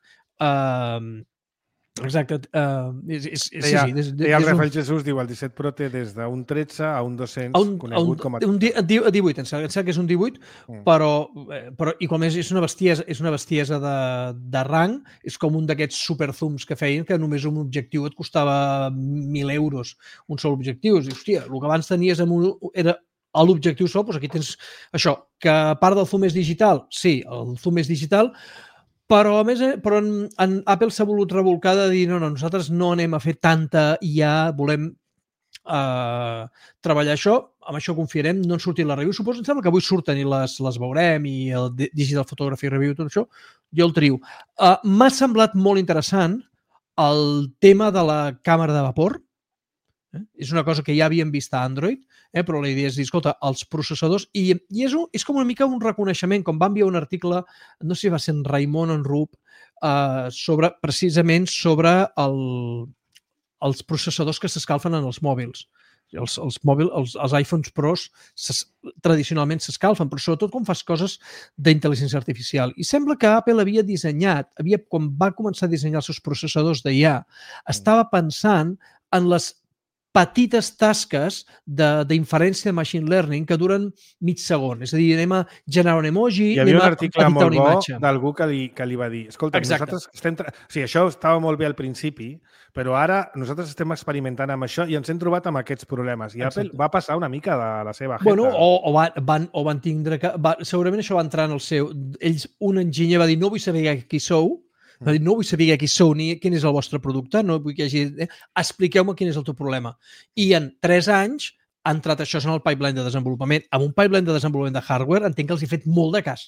C: exacte.
B: El Rafael Jesús diu el 17 Pro té des d'un 13 a un 200 conegut com a...
C: Un 18, em sembla que és un 18, però igualment és una bestiesa de rang, és com un d'aquests superzooms que feien, que només un objectiu et costava 1.000 euros, un sol objectiu. És dir, hòstia, el que abans tenies era l'objectiu sol, doncs aquí tens això, que a part del zoom és digital, sí, el zoom és digital, però a més, Apple s'ha volut rebolcar de dir no, nosaltres no anem a fer tanta IA, volem treballar això, amb això confiarem, no en sortit la review. Suposo, em sembla que avui surten i les veurem i el Digital Photography Review, tot això, jo el trio. M'ha semblat molt interessant el tema de la càmera de vapor. És una cosa que ja havíem vist a Android, però la idea és dir, escolta, els processadors, i és com una mica un reconeixement, com va enviar un article, no sé si va ser en Raimon o en Rup, precisament sobre els processadors que s'escalfen en els mòbils. Els iPhones Pros tradicionalment s'escalfen, però sobretot quan fas coses d'intel·ligència artificial. I sembla que Apple havia dissenyat, quan va començar a dissenyar els seus processadors d'IA, estava pensant en les petites tasques d'inferència de machine learning que duren mig segon. És a dir, anem a generar un emoji,
B: anem a editar una imatge. Hi havia un article molt bo d'algú que li va dir escolta, nosaltres estem... Sí, això estava molt bé al principi, però ara nosaltres estem experimentant amb això i ens hem trobat amb aquests problemes. I Apple va passar una mica de la seva jeta.
C: Bueno, o van tindre que... Segurament això va entrar en el seu... Un enginyer va dir, no vull saber qui sou, va dir, no vull saber qui sou ni quin és el vostre producte, no vull que hi hagi... Expliqueu-me quin és el teu problema. I en 3 anys ha entrat això en el pipeline de desenvolupament. Amb un pipeline de desenvolupament de hardware entenc que els he fet molt de cas.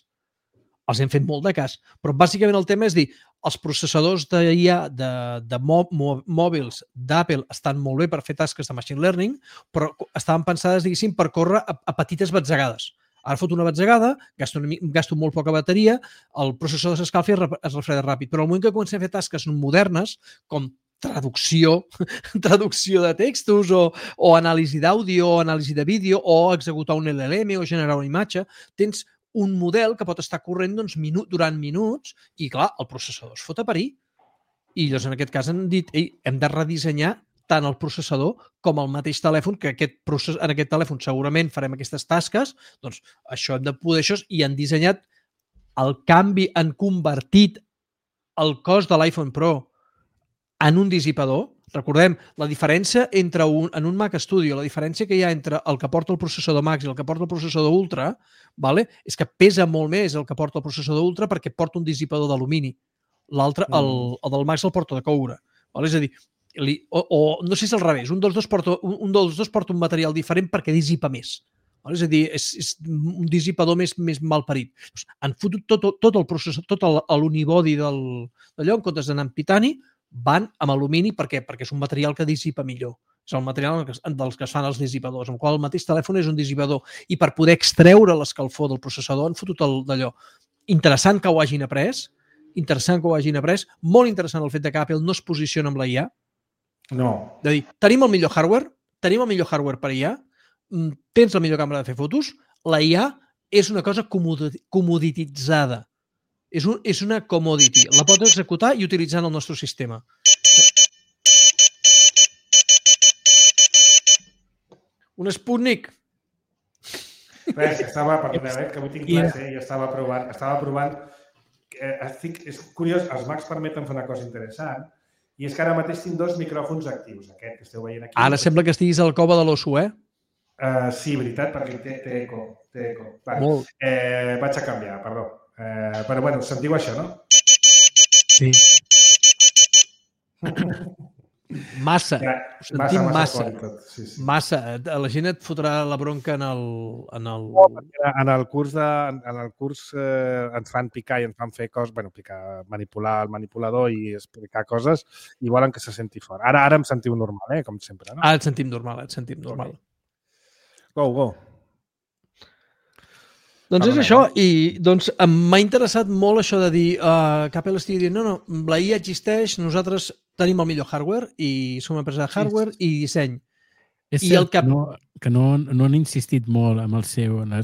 C: Els hem fet molt de cas. Però bàsicament el tema és dir, els processadors d'IA de mòbils d'Apple estan molt bé per fer tasques de machine learning, però estaven pensades, diguéssim, per córrer a petites batzegades. Ara fot una batzegada, gasto molt poca bateria, el processador s'escalfa i es refreda ràpid. Però al moment que comencem a fer tasques modernes, com traducció de textos o anàlisi d'àudio o anàlisi de vídeo o executar un LLM o generar una imatge, tens un model que pot estar corrent durant minuts i, clar, el processador es fot a parir. I llavors, en aquest cas, han dit hem de redissenyar tant el processador com el mateix telèfon, que en aquest telèfon segurament farem aquestes tasques, doncs això hem de poder això, i han dissenyat el canvi, han convertit el cost de l'iPhone Pro en un dissipador. Recordem, la diferència entre en un Mac Studio, la diferència que hi ha entre el que porta el processador Max i el que porta el processador Ultra, és que pesa molt més el que porta el processador Ultra perquè porta un dissipador d'alumini. l'altre, el del Max el porta de coure. És a dir, o no sé si és al revés, un dels dos porta un material diferent perquè dissipa més. És a dir, és un dissipador més malparit. Han fotut tot el processor, tot l'unibody d'allò, en comptes d'anar amb titani, van amb alumini. Per què? Perquè és un material que dissipa millor. És el material dels que es fan els dissipadors, amb el qual el mateix telèfon és un dissipador. I per poder extreure l'escalfor del processador han fotut d'allò. Interessant que ho hagin après, molt interessant el fet que Apple no es posiciona amb la IA.
B: No.
C: De dir, tenim el millor hardware per IA, tens la millor càmera de fer fotos, la IA és una cosa comodititzada. És una commodity. La pots executar i utilitzar en el nostre sistema. Un Sputnik.
B: Res, que estava, perdoneu, que avui tinc classe i estava provant. És curiós, els Macs permeten fer una cosa interessant, i és que ara mateix tinc 2 micròfons actius, aquest que esteu veient aquí.
C: Ara sembla que estiguis al cova de l'osso, eh?
B: Sí, veritat, perquè té eco.
C: Molt.
B: Vaig a canviar, perdó. Però, bueno, sentiu això, no?
C: Sí. Massa. Sentim massa. Massa. La gent et fotrà la bronca en el
B: curs ens fan picar i ens fan fer coses, manipular el manipulador i explicar coses i volen que se senti fort. Ara em sentiu normal, com sempre, no?
C: Ara et sentim normal,
B: Go.
C: Doncs és això, i doncs m'ha interessat molt això de dir que Apple estigui dient no, la IA existeix, nosaltres tenim el millor hardware i som una empresa de hardware i disseny.
D: És cert que no han insistit molt en la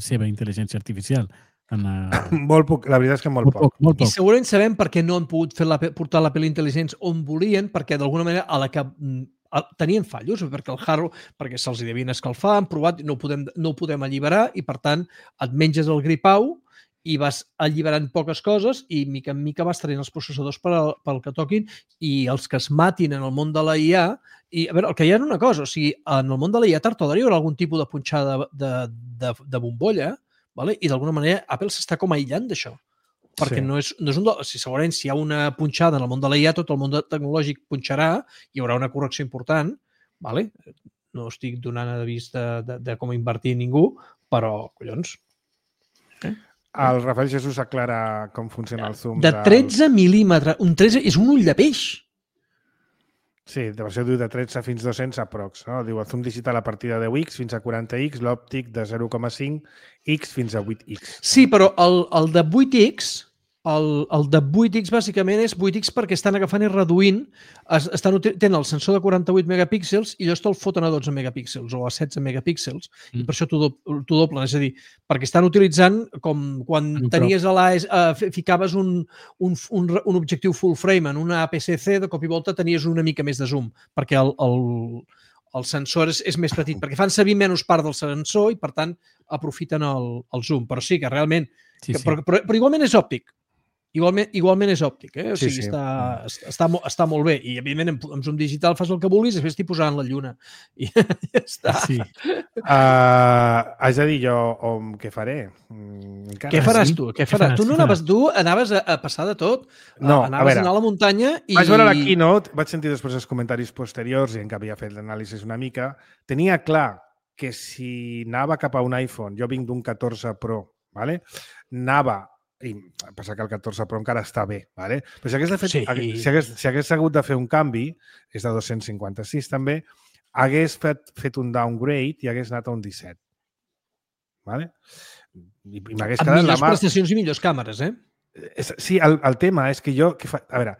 D: seva intel·ligència artificial.
B: Molt poc, la veritat és que molt poc.
C: I segurament sabem per què no han pogut portar l'Apple Intelligence on volien, perquè d'alguna manera a la que tenien fallos, perquè el hardware, perquè se'ls devien escalfar, han provat, no ho podem alliberar i, per tant, et menges el gripau i vas alliberant poques coses i, mica en mica, vas traient els processadors pel que toquin i els que es matin en el món de la IA. I, a veure, el que hi ha és una cosa, o sigui, en el món de la IA tard o d'ara hi haurà algun tipus de punxada de bombolla, i d'alguna manera Apple s'està com aïllant d'això. Perquè no és segurament si hi ha una punxada en el món de la IA, tot el món tecnològic punxarà, hi haurà una correcció important, no estic donant avís de com invertir ningú, però, collons.
B: El Rafael Jesús aclara com funciona el zoom.
C: De 13 mil·límetres, un 13 és un ull de peix.
B: Sí, de versió de 13 fins 200 aprox. Diu, el zoom digital a partir de 10x fins a 40x, l'òptic de 0,5x fins a 8x.
C: Sí, però el de 8x, el de 8x bàsicament és 8x perquè estan agafant i reduint, tenen el sensor de 48 megapíxels i llavors te'l foten a 12 megapíxels o a 16 megapíxels i per això t'ho doblen. És a dir, perquè estan utilitzant com quan tenies ficaves un objectiu full frame en una APS-C, de cop i volta tenies una mica més de zoom, perquè el sensor és més petit, perquè fan servir menys part del sensor i, per tant, aprofiten el zoom. Però sí que realment... Però igualment és òptic. Igualment és òptic, o sigui, està molt bé. I, evidentment, amb zoom digital fas el que vulguis i després t'hi posaran la lluna. I ja està.
B: Sí. Haig de dir jo què faré.
C: Què faràs tu? Tu anaves a passar de tot.
B: No,
C: anaves a anar a la muntanya i...
B: Vaig veure la keynote, vaig sentir després els comentaris posteriors i en què havia fet l'anàlisi una mica. Tenia clar que si anava cap a un iPhone, jo vinc d'un 14 Pro, anava... I passa que el 14 Pro encara està bé, però si hagués hagut de fer un canvi, és de 256 també, hagués fet un downgrade i hagués anat a un 17. I m'hagués quedat la mà...
C: Amb millors prestacions i millors càmeres,
B: Sí, el tema és que jo... A veure,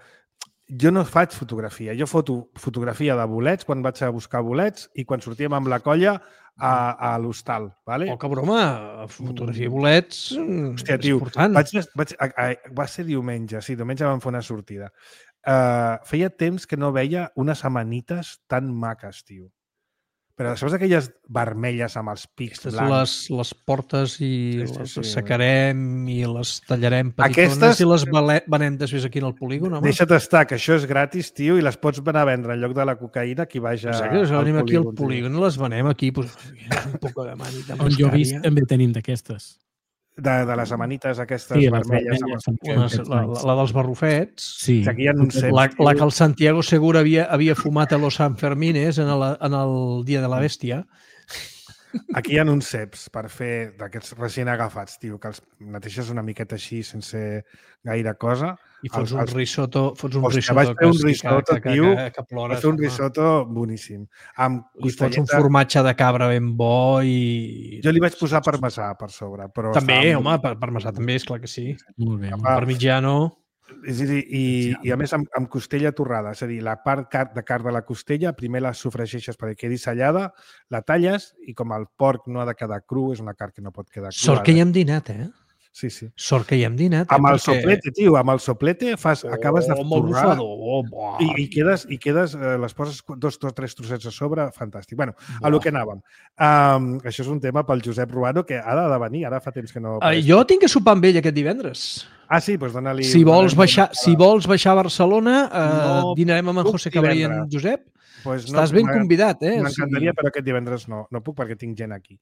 B: jo no faig fotografia. Jo foto fotografia de bolets quan vaig a buscar bolets i quan sortíem amb la colla a l'hostal.
C: Oh, que broma! Fotografia de bolets és important.
B: Va ser diumenge, sí, diumenge vam fer una sortida. Feia temps que no veia unes amanites tan maques, tio. Però saps aquelles vermelles amb els pics blancs?
C: Les portes i les assecarem i les tallarem petitones i les venem després aquí en el polígon.
B: Deixa't estar, que això és gratis, tio, i les pots anar a vendre en lloc de la cocaïna qui vaja al polígon.
C: Venim aquí al polígon i les venem aquí. Un poc de manita.
D: On jo he vist també tenim d'aquestes.
B: de les amanites aquestes vermelles.
C: La dels barrufets.
D: Sí.
B: Aquí hi ha uns ceps.
C: La que el Santiago Segura havia fumat a los Sanfermines en el dia de la bèstia.
B: Aquí hi ha uns ceps per fer d'aquests recient agafats, tio, que els neteges una miqueta així sense gaire cosa.
C: I fots un risotto que plores.
B: Vaig fer un risotto boníssim.
C: I fots un formatge de cabra ben bo i...
B: Jo li vaig posar parmesà per sobre. Però
C: també, home, parmesà també, és clar que sí.
D: Molt bé.
C: Parmigiano...
B: I a més amb costella torrada, és a dir, la part de carn de la costella primer la sofregeixes perquè quedi sellada, la talles i com el porc no ha de quedar cru, és una carn que no pot quedar crua.
C: Sort que hi hem dinat,
B: Sí, sí.
C: Sort que hi hem dinat.
B: Amb el soplete, tio, amb el soplete acabes de torrar i quedes, les poses 2 o 3 trossets a sobre, fantàstic. Bueno, a lo que anàvem. Això és un tema pel Josep Ruano que ha de venir, ara fa temps que no...
C: Jo tinc que sopar amb ell aquest divendres.
B: Ah, sí? Doncs dona-li...
C: Si vols baixar a Barcelona, dinarem amb en José Cabrí i en Josep. Estàs ben convidat,
B: M'encantaria, però aquest divendres no puc perquè tinc gent aquí.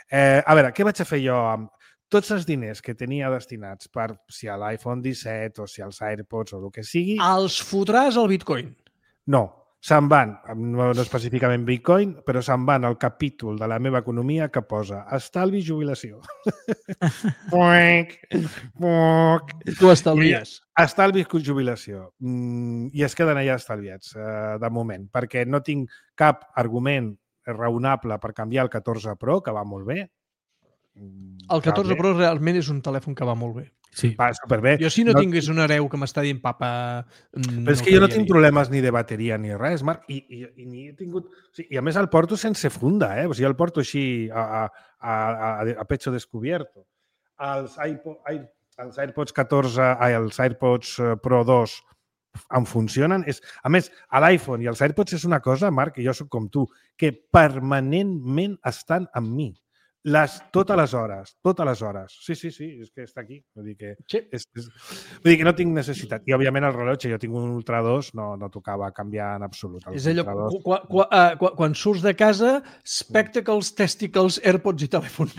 B: A veure, què vaig a fer jo amb tots els diners que tenia destinats per si a l'iPhone 17 o si als AirPods o el que sigui...
C: Els fotràs al Bitcoin?
B: No, se'n van, no específicament Bitcoin, però se'n van al capítol de la meva economia que posa estalvi i jubilació.
C: Tu estalvies?
B: Estalvi i jubilació. I es queden allà estalviats, de moment, perquè no tinc cap argument raonable per canviar el 14 Pro, que va molt bé.
C: El 14 Pro realment és un telèfon que va molt bé.
D: Sí.
B: Va superbé.
C: Jo si no tingués un hereu que m'està dient papa...
B: Però és que jo no tinc problemes ni de bateria ni res, Marc, i ni he tingut... I a més el porto sense funda, O sigui, el porto així a pecho descubierto. Els AirPods 14, els AirPods Pro 2 em funcionen. A més, a l'iPhone i els AirPods és una cosa, Marc, que jo soc com tu, que permanentment estan amb mi. Totes les hores. Sí, és que està aquí. Vull dir que no tinc necessitat. I, òbviament, el rellotge, jo tinc un Ultra 2, no tocava canviar en absolut.
C: És allò, quan surts de casa, spectacles, testicles, AirPods i telèfon.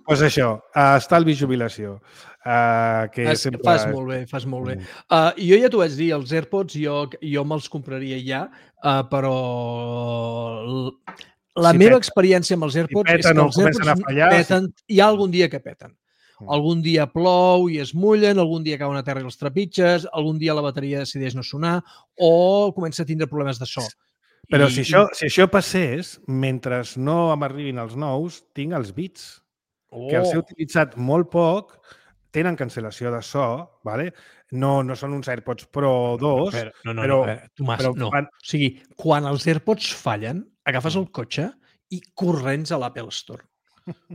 B: Doncs això, estalvi i jubilació.
C: Fas molt bé. Jo ja t'ho vaig dir, els AirPods jo me'ls compraria ja, però la meva experiència amb els AirPods és que els AirPods peten, hi ha algun dia que peten. Algun dia plou i es mullen, algun dia cauen a terra i els trepitges, algun dia la bateria decideix no sonar o comença a tindre problemes de so.
B: Però si això passés, mentre no m'arribin els nous, tinc els Beats, que els he utilitzat molt poc, tenen cancel·lació de so, ¿vale? No són uns AirPods Pro 2, però...
C: Tomàs, no. O sigui, quan els AirPods fallen, agafes el cotxe i corrents a l'Apple Store.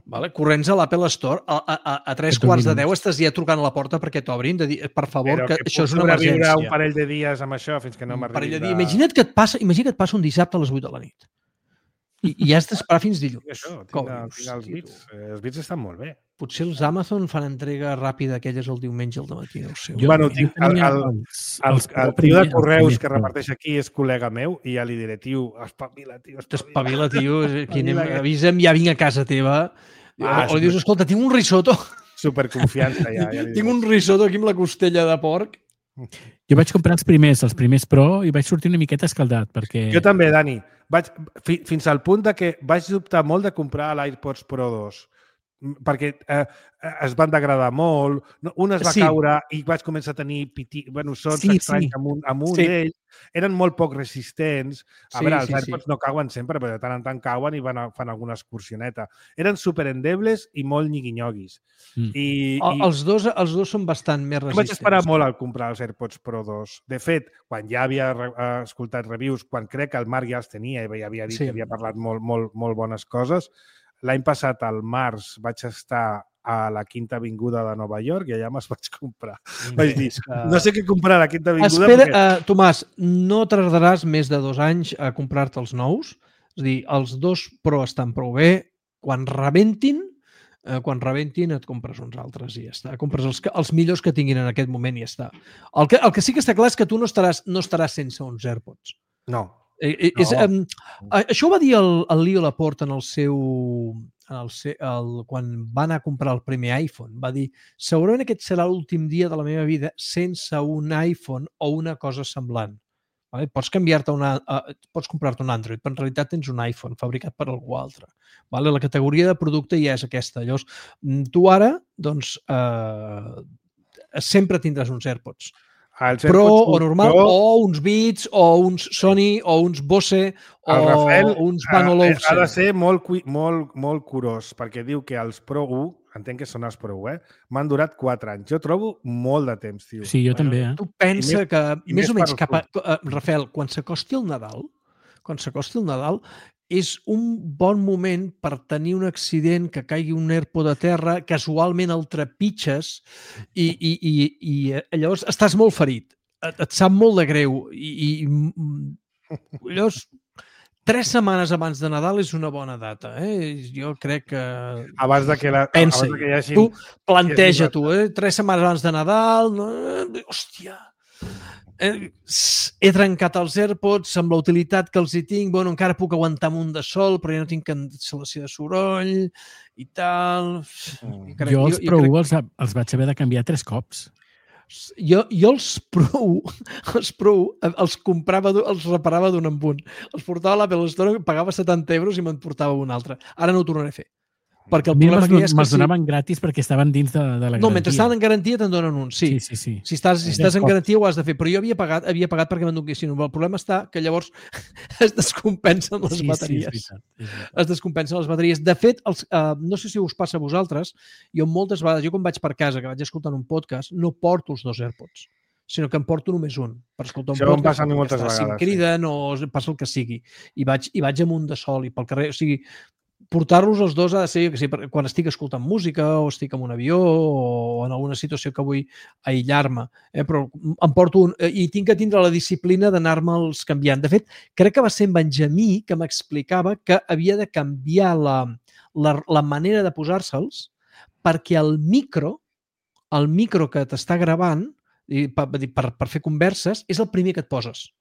C: Vale? Corrents a l'Apple Store, a 3:15 estàs ja trucant a la porta perquè t'obrin, de dir, per favor, que això és una emergència.
B: Però que puc sobreviure un parell de dies amb això fins que no m'arribi...
C: Imagina't que et passa un dissabte a les 8 de la nit. I has d'esperar fins dilluns.
B: Això, tinc els Beats. Els Beats estan molt bé.
C: Potser els Amazon fan entrega ràpida aquelles el diumenge al dematí, no ho sé.
B: Bueno, el tio de correus que reparteix aquí és col·lega meu i ja li diré, tio, espavila, tio.
C: Espavila, tio. Avisa'm, ja vinc a casa teva. O li dius, escolta, tinc un risotto.
B: Superconfiança, ja.
C: Tinc un risotto aquí amb la costella de porc.
D: Jo vaig comprar els primers Pro, i vaig sortir una miqueta escaldat, perquè...
B: Jo també, Dani. Fins al punt que vaig dubtar molt de comprar l'AirPods Pro 2, perquè es van degradar molt, un es va caure i vaig començar a tenir sons estranys amb un d'ells, eren molt poc resistents. A veure, els AirPods no cauen sempre, però de tant en tant cauen i fan alguna excursioneta. Eren superendebles i molt nyigui-nyoguis.
C: Els dos són bastant més resistents.
B: Vaig esperar molt al comprar els AirPods Pro 2. De fet, quan ja havia escoltat reviews, quan crec que el Marc ja els tenia i havia dit que havia parlat molt bones coses, l'any passat, al març, vaig estar a la Quinta Avinguda de Nova York i allà me'ls vaig comprar. Vaig dir, no sé què comprar a la Quinta Avinguda...
C: Espera, Tomàs, no tardaràs més de 2 anys a comprar-te els nous. És a dir, els 2 Pro estan prou bé. Quan rebentin et compres uns altres i ja està. Compres els millors que tinguin en aquest moment i ja està. El que sí que està clar és que tu no estaràs sense uns AirPods.
B: No.
C: Això ho va dir el Leo Laporte en el seu... quan va anar a comprar el primer iPhone. Va dir, segurament aquest serà l'últim dia de la meva vida sense un iPhone o una cosa semblant. Vale? Pots comprar-te un Android, però en realitat tens un iPhone fabricat per algú altre. Vale? La categoria de producte ja és aquesta. Llavors, tu ara, doncs, sempre tindràs uns AirPods. Pro o normal, o uns Beats, o uns Sony, o uns Bose, o uns Bang & Olufsen.
B: Ha de ser molt curós, perquè diu que els Pro 1, entenc que són els Pro 1, m'han durat 4 anys. Jo trobo molt de temps, tio.
D: Sí, jo també.
C: Tu pensa que, més o menys, Rafael, quan s'acosti el Nadal, és un bon moment per tenir un accident, que caigui un AirPod a terra, casualment el trepitges i llavors estàs molt ferit. Et sap molt de greu. I llavors, 3 setmanes abans de Nadal és una bona data. Jo crec que...
B: Abans de que hi hagi...
C: Tu planteja, 3 setmanes abans de Nadal... Hòstia... he trencat els AirPods amb la utilitat que els hi tinc, bueno, encara puc aguantar un de sol, però ja no tinc cancel·lació de soroll i tal...
D: Jo els Pro 1 els vaig haver de canviar 3 cops.
C: Jo els Pro els comprava, els reparava d'un en un. Els portava a l'Apple Store, pagava 70 euros i me'n portava un altre. Ara no ho tornaré a fer. Perquè el problema que hi és que...
D: Me'ls donaven gratis perquè estaven dins de la garantia.
C: No, mentre estaven en garantia te'n donen un, sí. Si estàs en garantia ho has de fer, però jo havia pagat perquè me'n donessin un. El problema està que llavors es descompensen les bateries. Es descompensen les bateries. De fet, no sé si us passa a vosaltres, jo moltes vegades, jo quan vaig per casa, que vaig escoltant un podcast, no porto els 2 AirPods, sinó que em porto només un per escoltar un podcast.
B: Això em passa a mi moltes vegades.
C: Si em criden o passa el que sigui. I vaig amb un de sol i pel carrer, o sigui, portar-los els dos ha de ser, jo que sé, quan estic escoltant música o estic en un avió o en alguna situació que vull aïllar-me. Però em porto un... I tinc que tindre la disciplina d'anar-me'ls canviant. De fet, crec que va ser en Benjamí que m'explicava que havia de canviar la manera de posar-se'ls perquè el micro que t'està gravant per fer converses és el primer que et poses.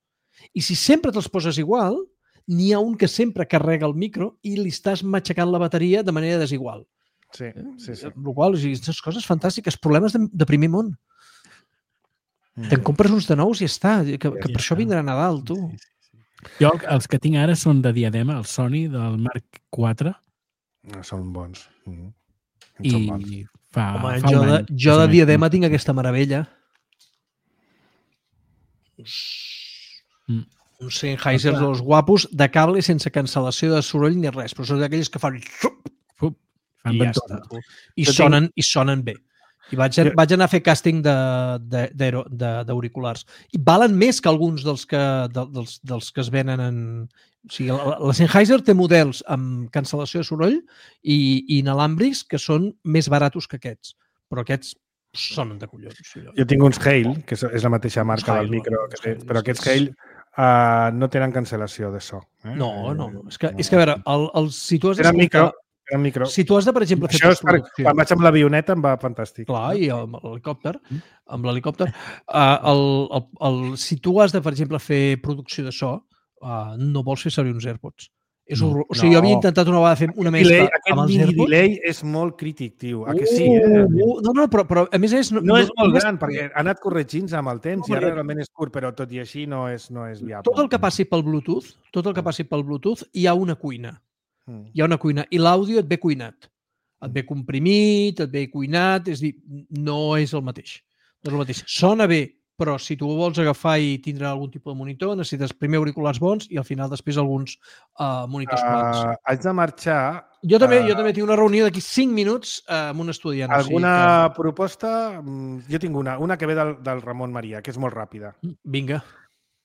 C: I si sempre te'ls poses igual, n'hi ha un que sempre carrega el micro i li estàs matxacant la bateria de manera desigual.
B: Sí.
C: El qual, aquestes coses fantàstiques, problemes de primer món. Te'n compres uns de nous i ja està, que per això vindrà Nadal, tu.
D: Jo els que tinc ara són de diadema, el Sony del Mark IV.
B: Són bons.
D: I fa
C: jo de diadema tinc aquesta meravella. Uns Sennheiser dels guapos de cable sense cancel·lació de soroll ni res, però són d'aquells que fan... I ja està. I sonen bé. I vaig anar a fer càsting d'auriculars. I valen més que alguns dels que es venen en... O sigui, la Sennheiser té models amb cancel·lació de soroll i inalàmbrics que són més baratos que aquests. Però aquests sonen de collons.
B: Jo tinc uns Hale, que és la mateixa marca del micro, però aquests Hale no tenen cancel·lació de so.
C: No. És que a veure, si tu has
B: de... micro.
C: Si tu has de, per exemple, fer...
B: Això és quan vaig amb l'avioneta em va fantàstic.
C: Clar, i amb l'helicòpter. Si tu has de, per exemple, fer producció de so, no vols fer servir uns AirPods. O sigui, jo havia intentat una vegada fer una mescla amb els AirPods.
B: Aquest delay és molt crític, tio. A que sí,
C: No, però a més és...
B: No és molt gran, perquè ha anat corregint amb el temps i ara realment és curt, però tot i així no és viable.
C: Tot el que passi pel Bluetooth, hi ha una cuina. Hi ha una cuina. I l'àudio et ve cuinat. Et ve comprimit, et ve cuinat, és a dir, no és el mateix. Sona bé, però si tu vols agafar i tindre algun tipus de monitor, necessites primer auriculars bons i al final després alguns monitors plans.
B: Haig de marxar...
C: Jo també tinc una reunió d'aquí 5 minuts amb un estudiant.
B: Alguna proposta? Jo tinc una que ve del Ramon Maria, que és molt ràpida.
C: Vinga.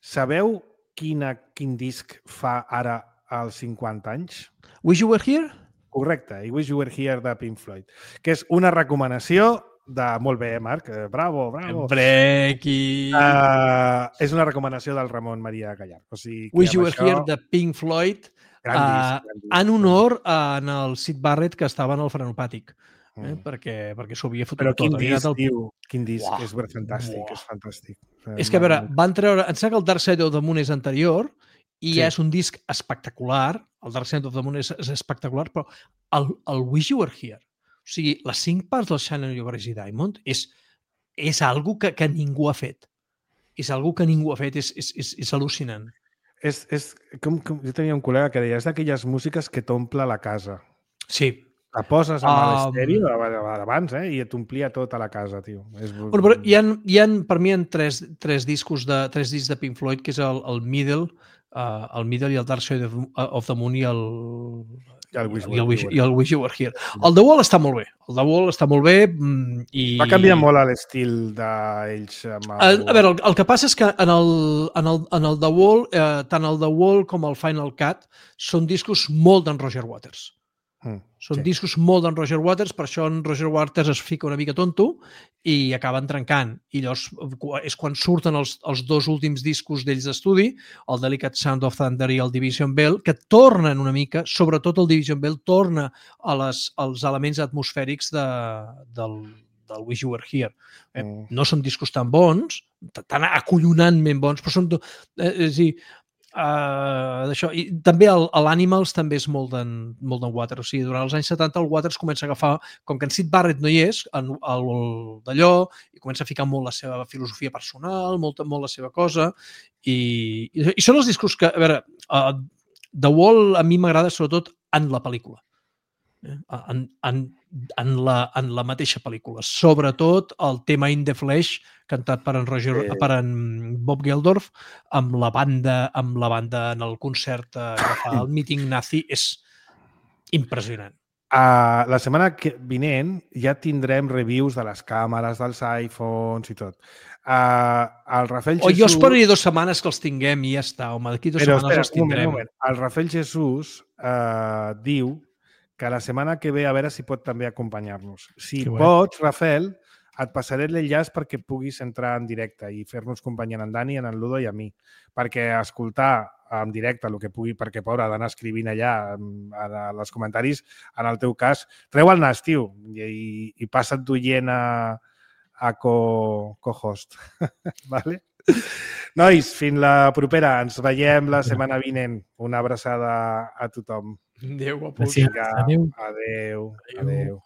B: Sabeu quin disc fa ara als 50 anys?
C: Wish You Were Here?
B: Correcte, i Wish You Were Here de Pink Floyd, que és una recomanació de... Molt bé, Marc. Bravo.
C: Brequi.
B: És una recomanació del Ramon Maria Gallar. O sigui,
C: Wish You Were Here de Pink Floyd en honor al Syd Barrett que estava en el frenopàtic. Perquè s'ho havia fotut tot.
B: Però quin disc, és fantàstic.
C: És que, a veure, van treure... Em sembla que el Dark Side of the Moon és anterior i és un disc espectacular, el Dark Side of the Moon és espectacular, però el Wish You Were Here, o sigui, les 5 parts del Shine on Your Crazy Diamond és algo que ningú ha fet. És algo que ningú ha fet, és al·lucinant.
B: Jo tenia un col·lega que deia, és d'aquelles músiques que t'omple la casa.
C: Sí.
B: La poses amb l'estèreo abans, i t'omplia tota la casa, tio.
C: Bueno, però hi ha, per mi, tres discs de Pink Floyd, que és el Middle i el Dark Side of the Moon i el Wish You Were Here. El The Wall està molt bé.
B: Va canviar molt l'estil d'ells.
C: A veure, el que passa és que en el The Wall, tant el The Wall com el Final Cut són discos molt d'en Roger Waters. Són discos molt d'en Roger Waters, per això en Roger Waters es fica una mica tonto i acaben trencant. I llavors és quan surten els 2 últims discos d'ells d'estudi, el Delicate Sound of Thunder i el Division Bell, que tornen una mica, sobretot el Division Bell torna als elements atmosfèrics del Wish You Were Here. No són discos tan bons, tan acollonantment bons, però són... I també l'Animals també és molt d'en Waters, o sigui, durant els anys 70 el Waters comença a agafar, com que en Syd Barrett no hi és d'allò, i comença a ficar molt la seva filosofia personal, molt la seva cosa, i són els discos que, a veure, The Wall a mi m'agrada sobretot en la pel·lícula, en la mateixa pel·lícula, sobretot el tema In the Flesh cantat per en Bob Geldof amb la banda en el concert que fa el Meeting Nazi, és impressionant.
B: La setmana vinent ja tindrem reviews de les càmeres, dels iPhones i tot. El Rafael Jesús...
C: Jo esperaria 2 setmanes que els tinguem i ja està, home, d'aquí 2 setmanes els tindrem.
B: Un moment. El Rafael Jesús diu que la setmana que ve a veure si pot també acompanyar-nos. Si pots, Rafael, et passaré l'enllaç perquè puguis entrar en directe i fer-nos companyia en Dani, en Ludo i a mi. Perquè escoltar en directe el que pugui, perquè, pobre, ha d'anar escrivint allà als comentaris, en el teu cas, treu el nas, tio, i passa't d'oient a co-host. Vale? Nois, fins la propera. Ens veiem la setmana vinent. Una abraçada a tothom.
C: Adéu, guapos.
D: Adéu.
B: Adéu.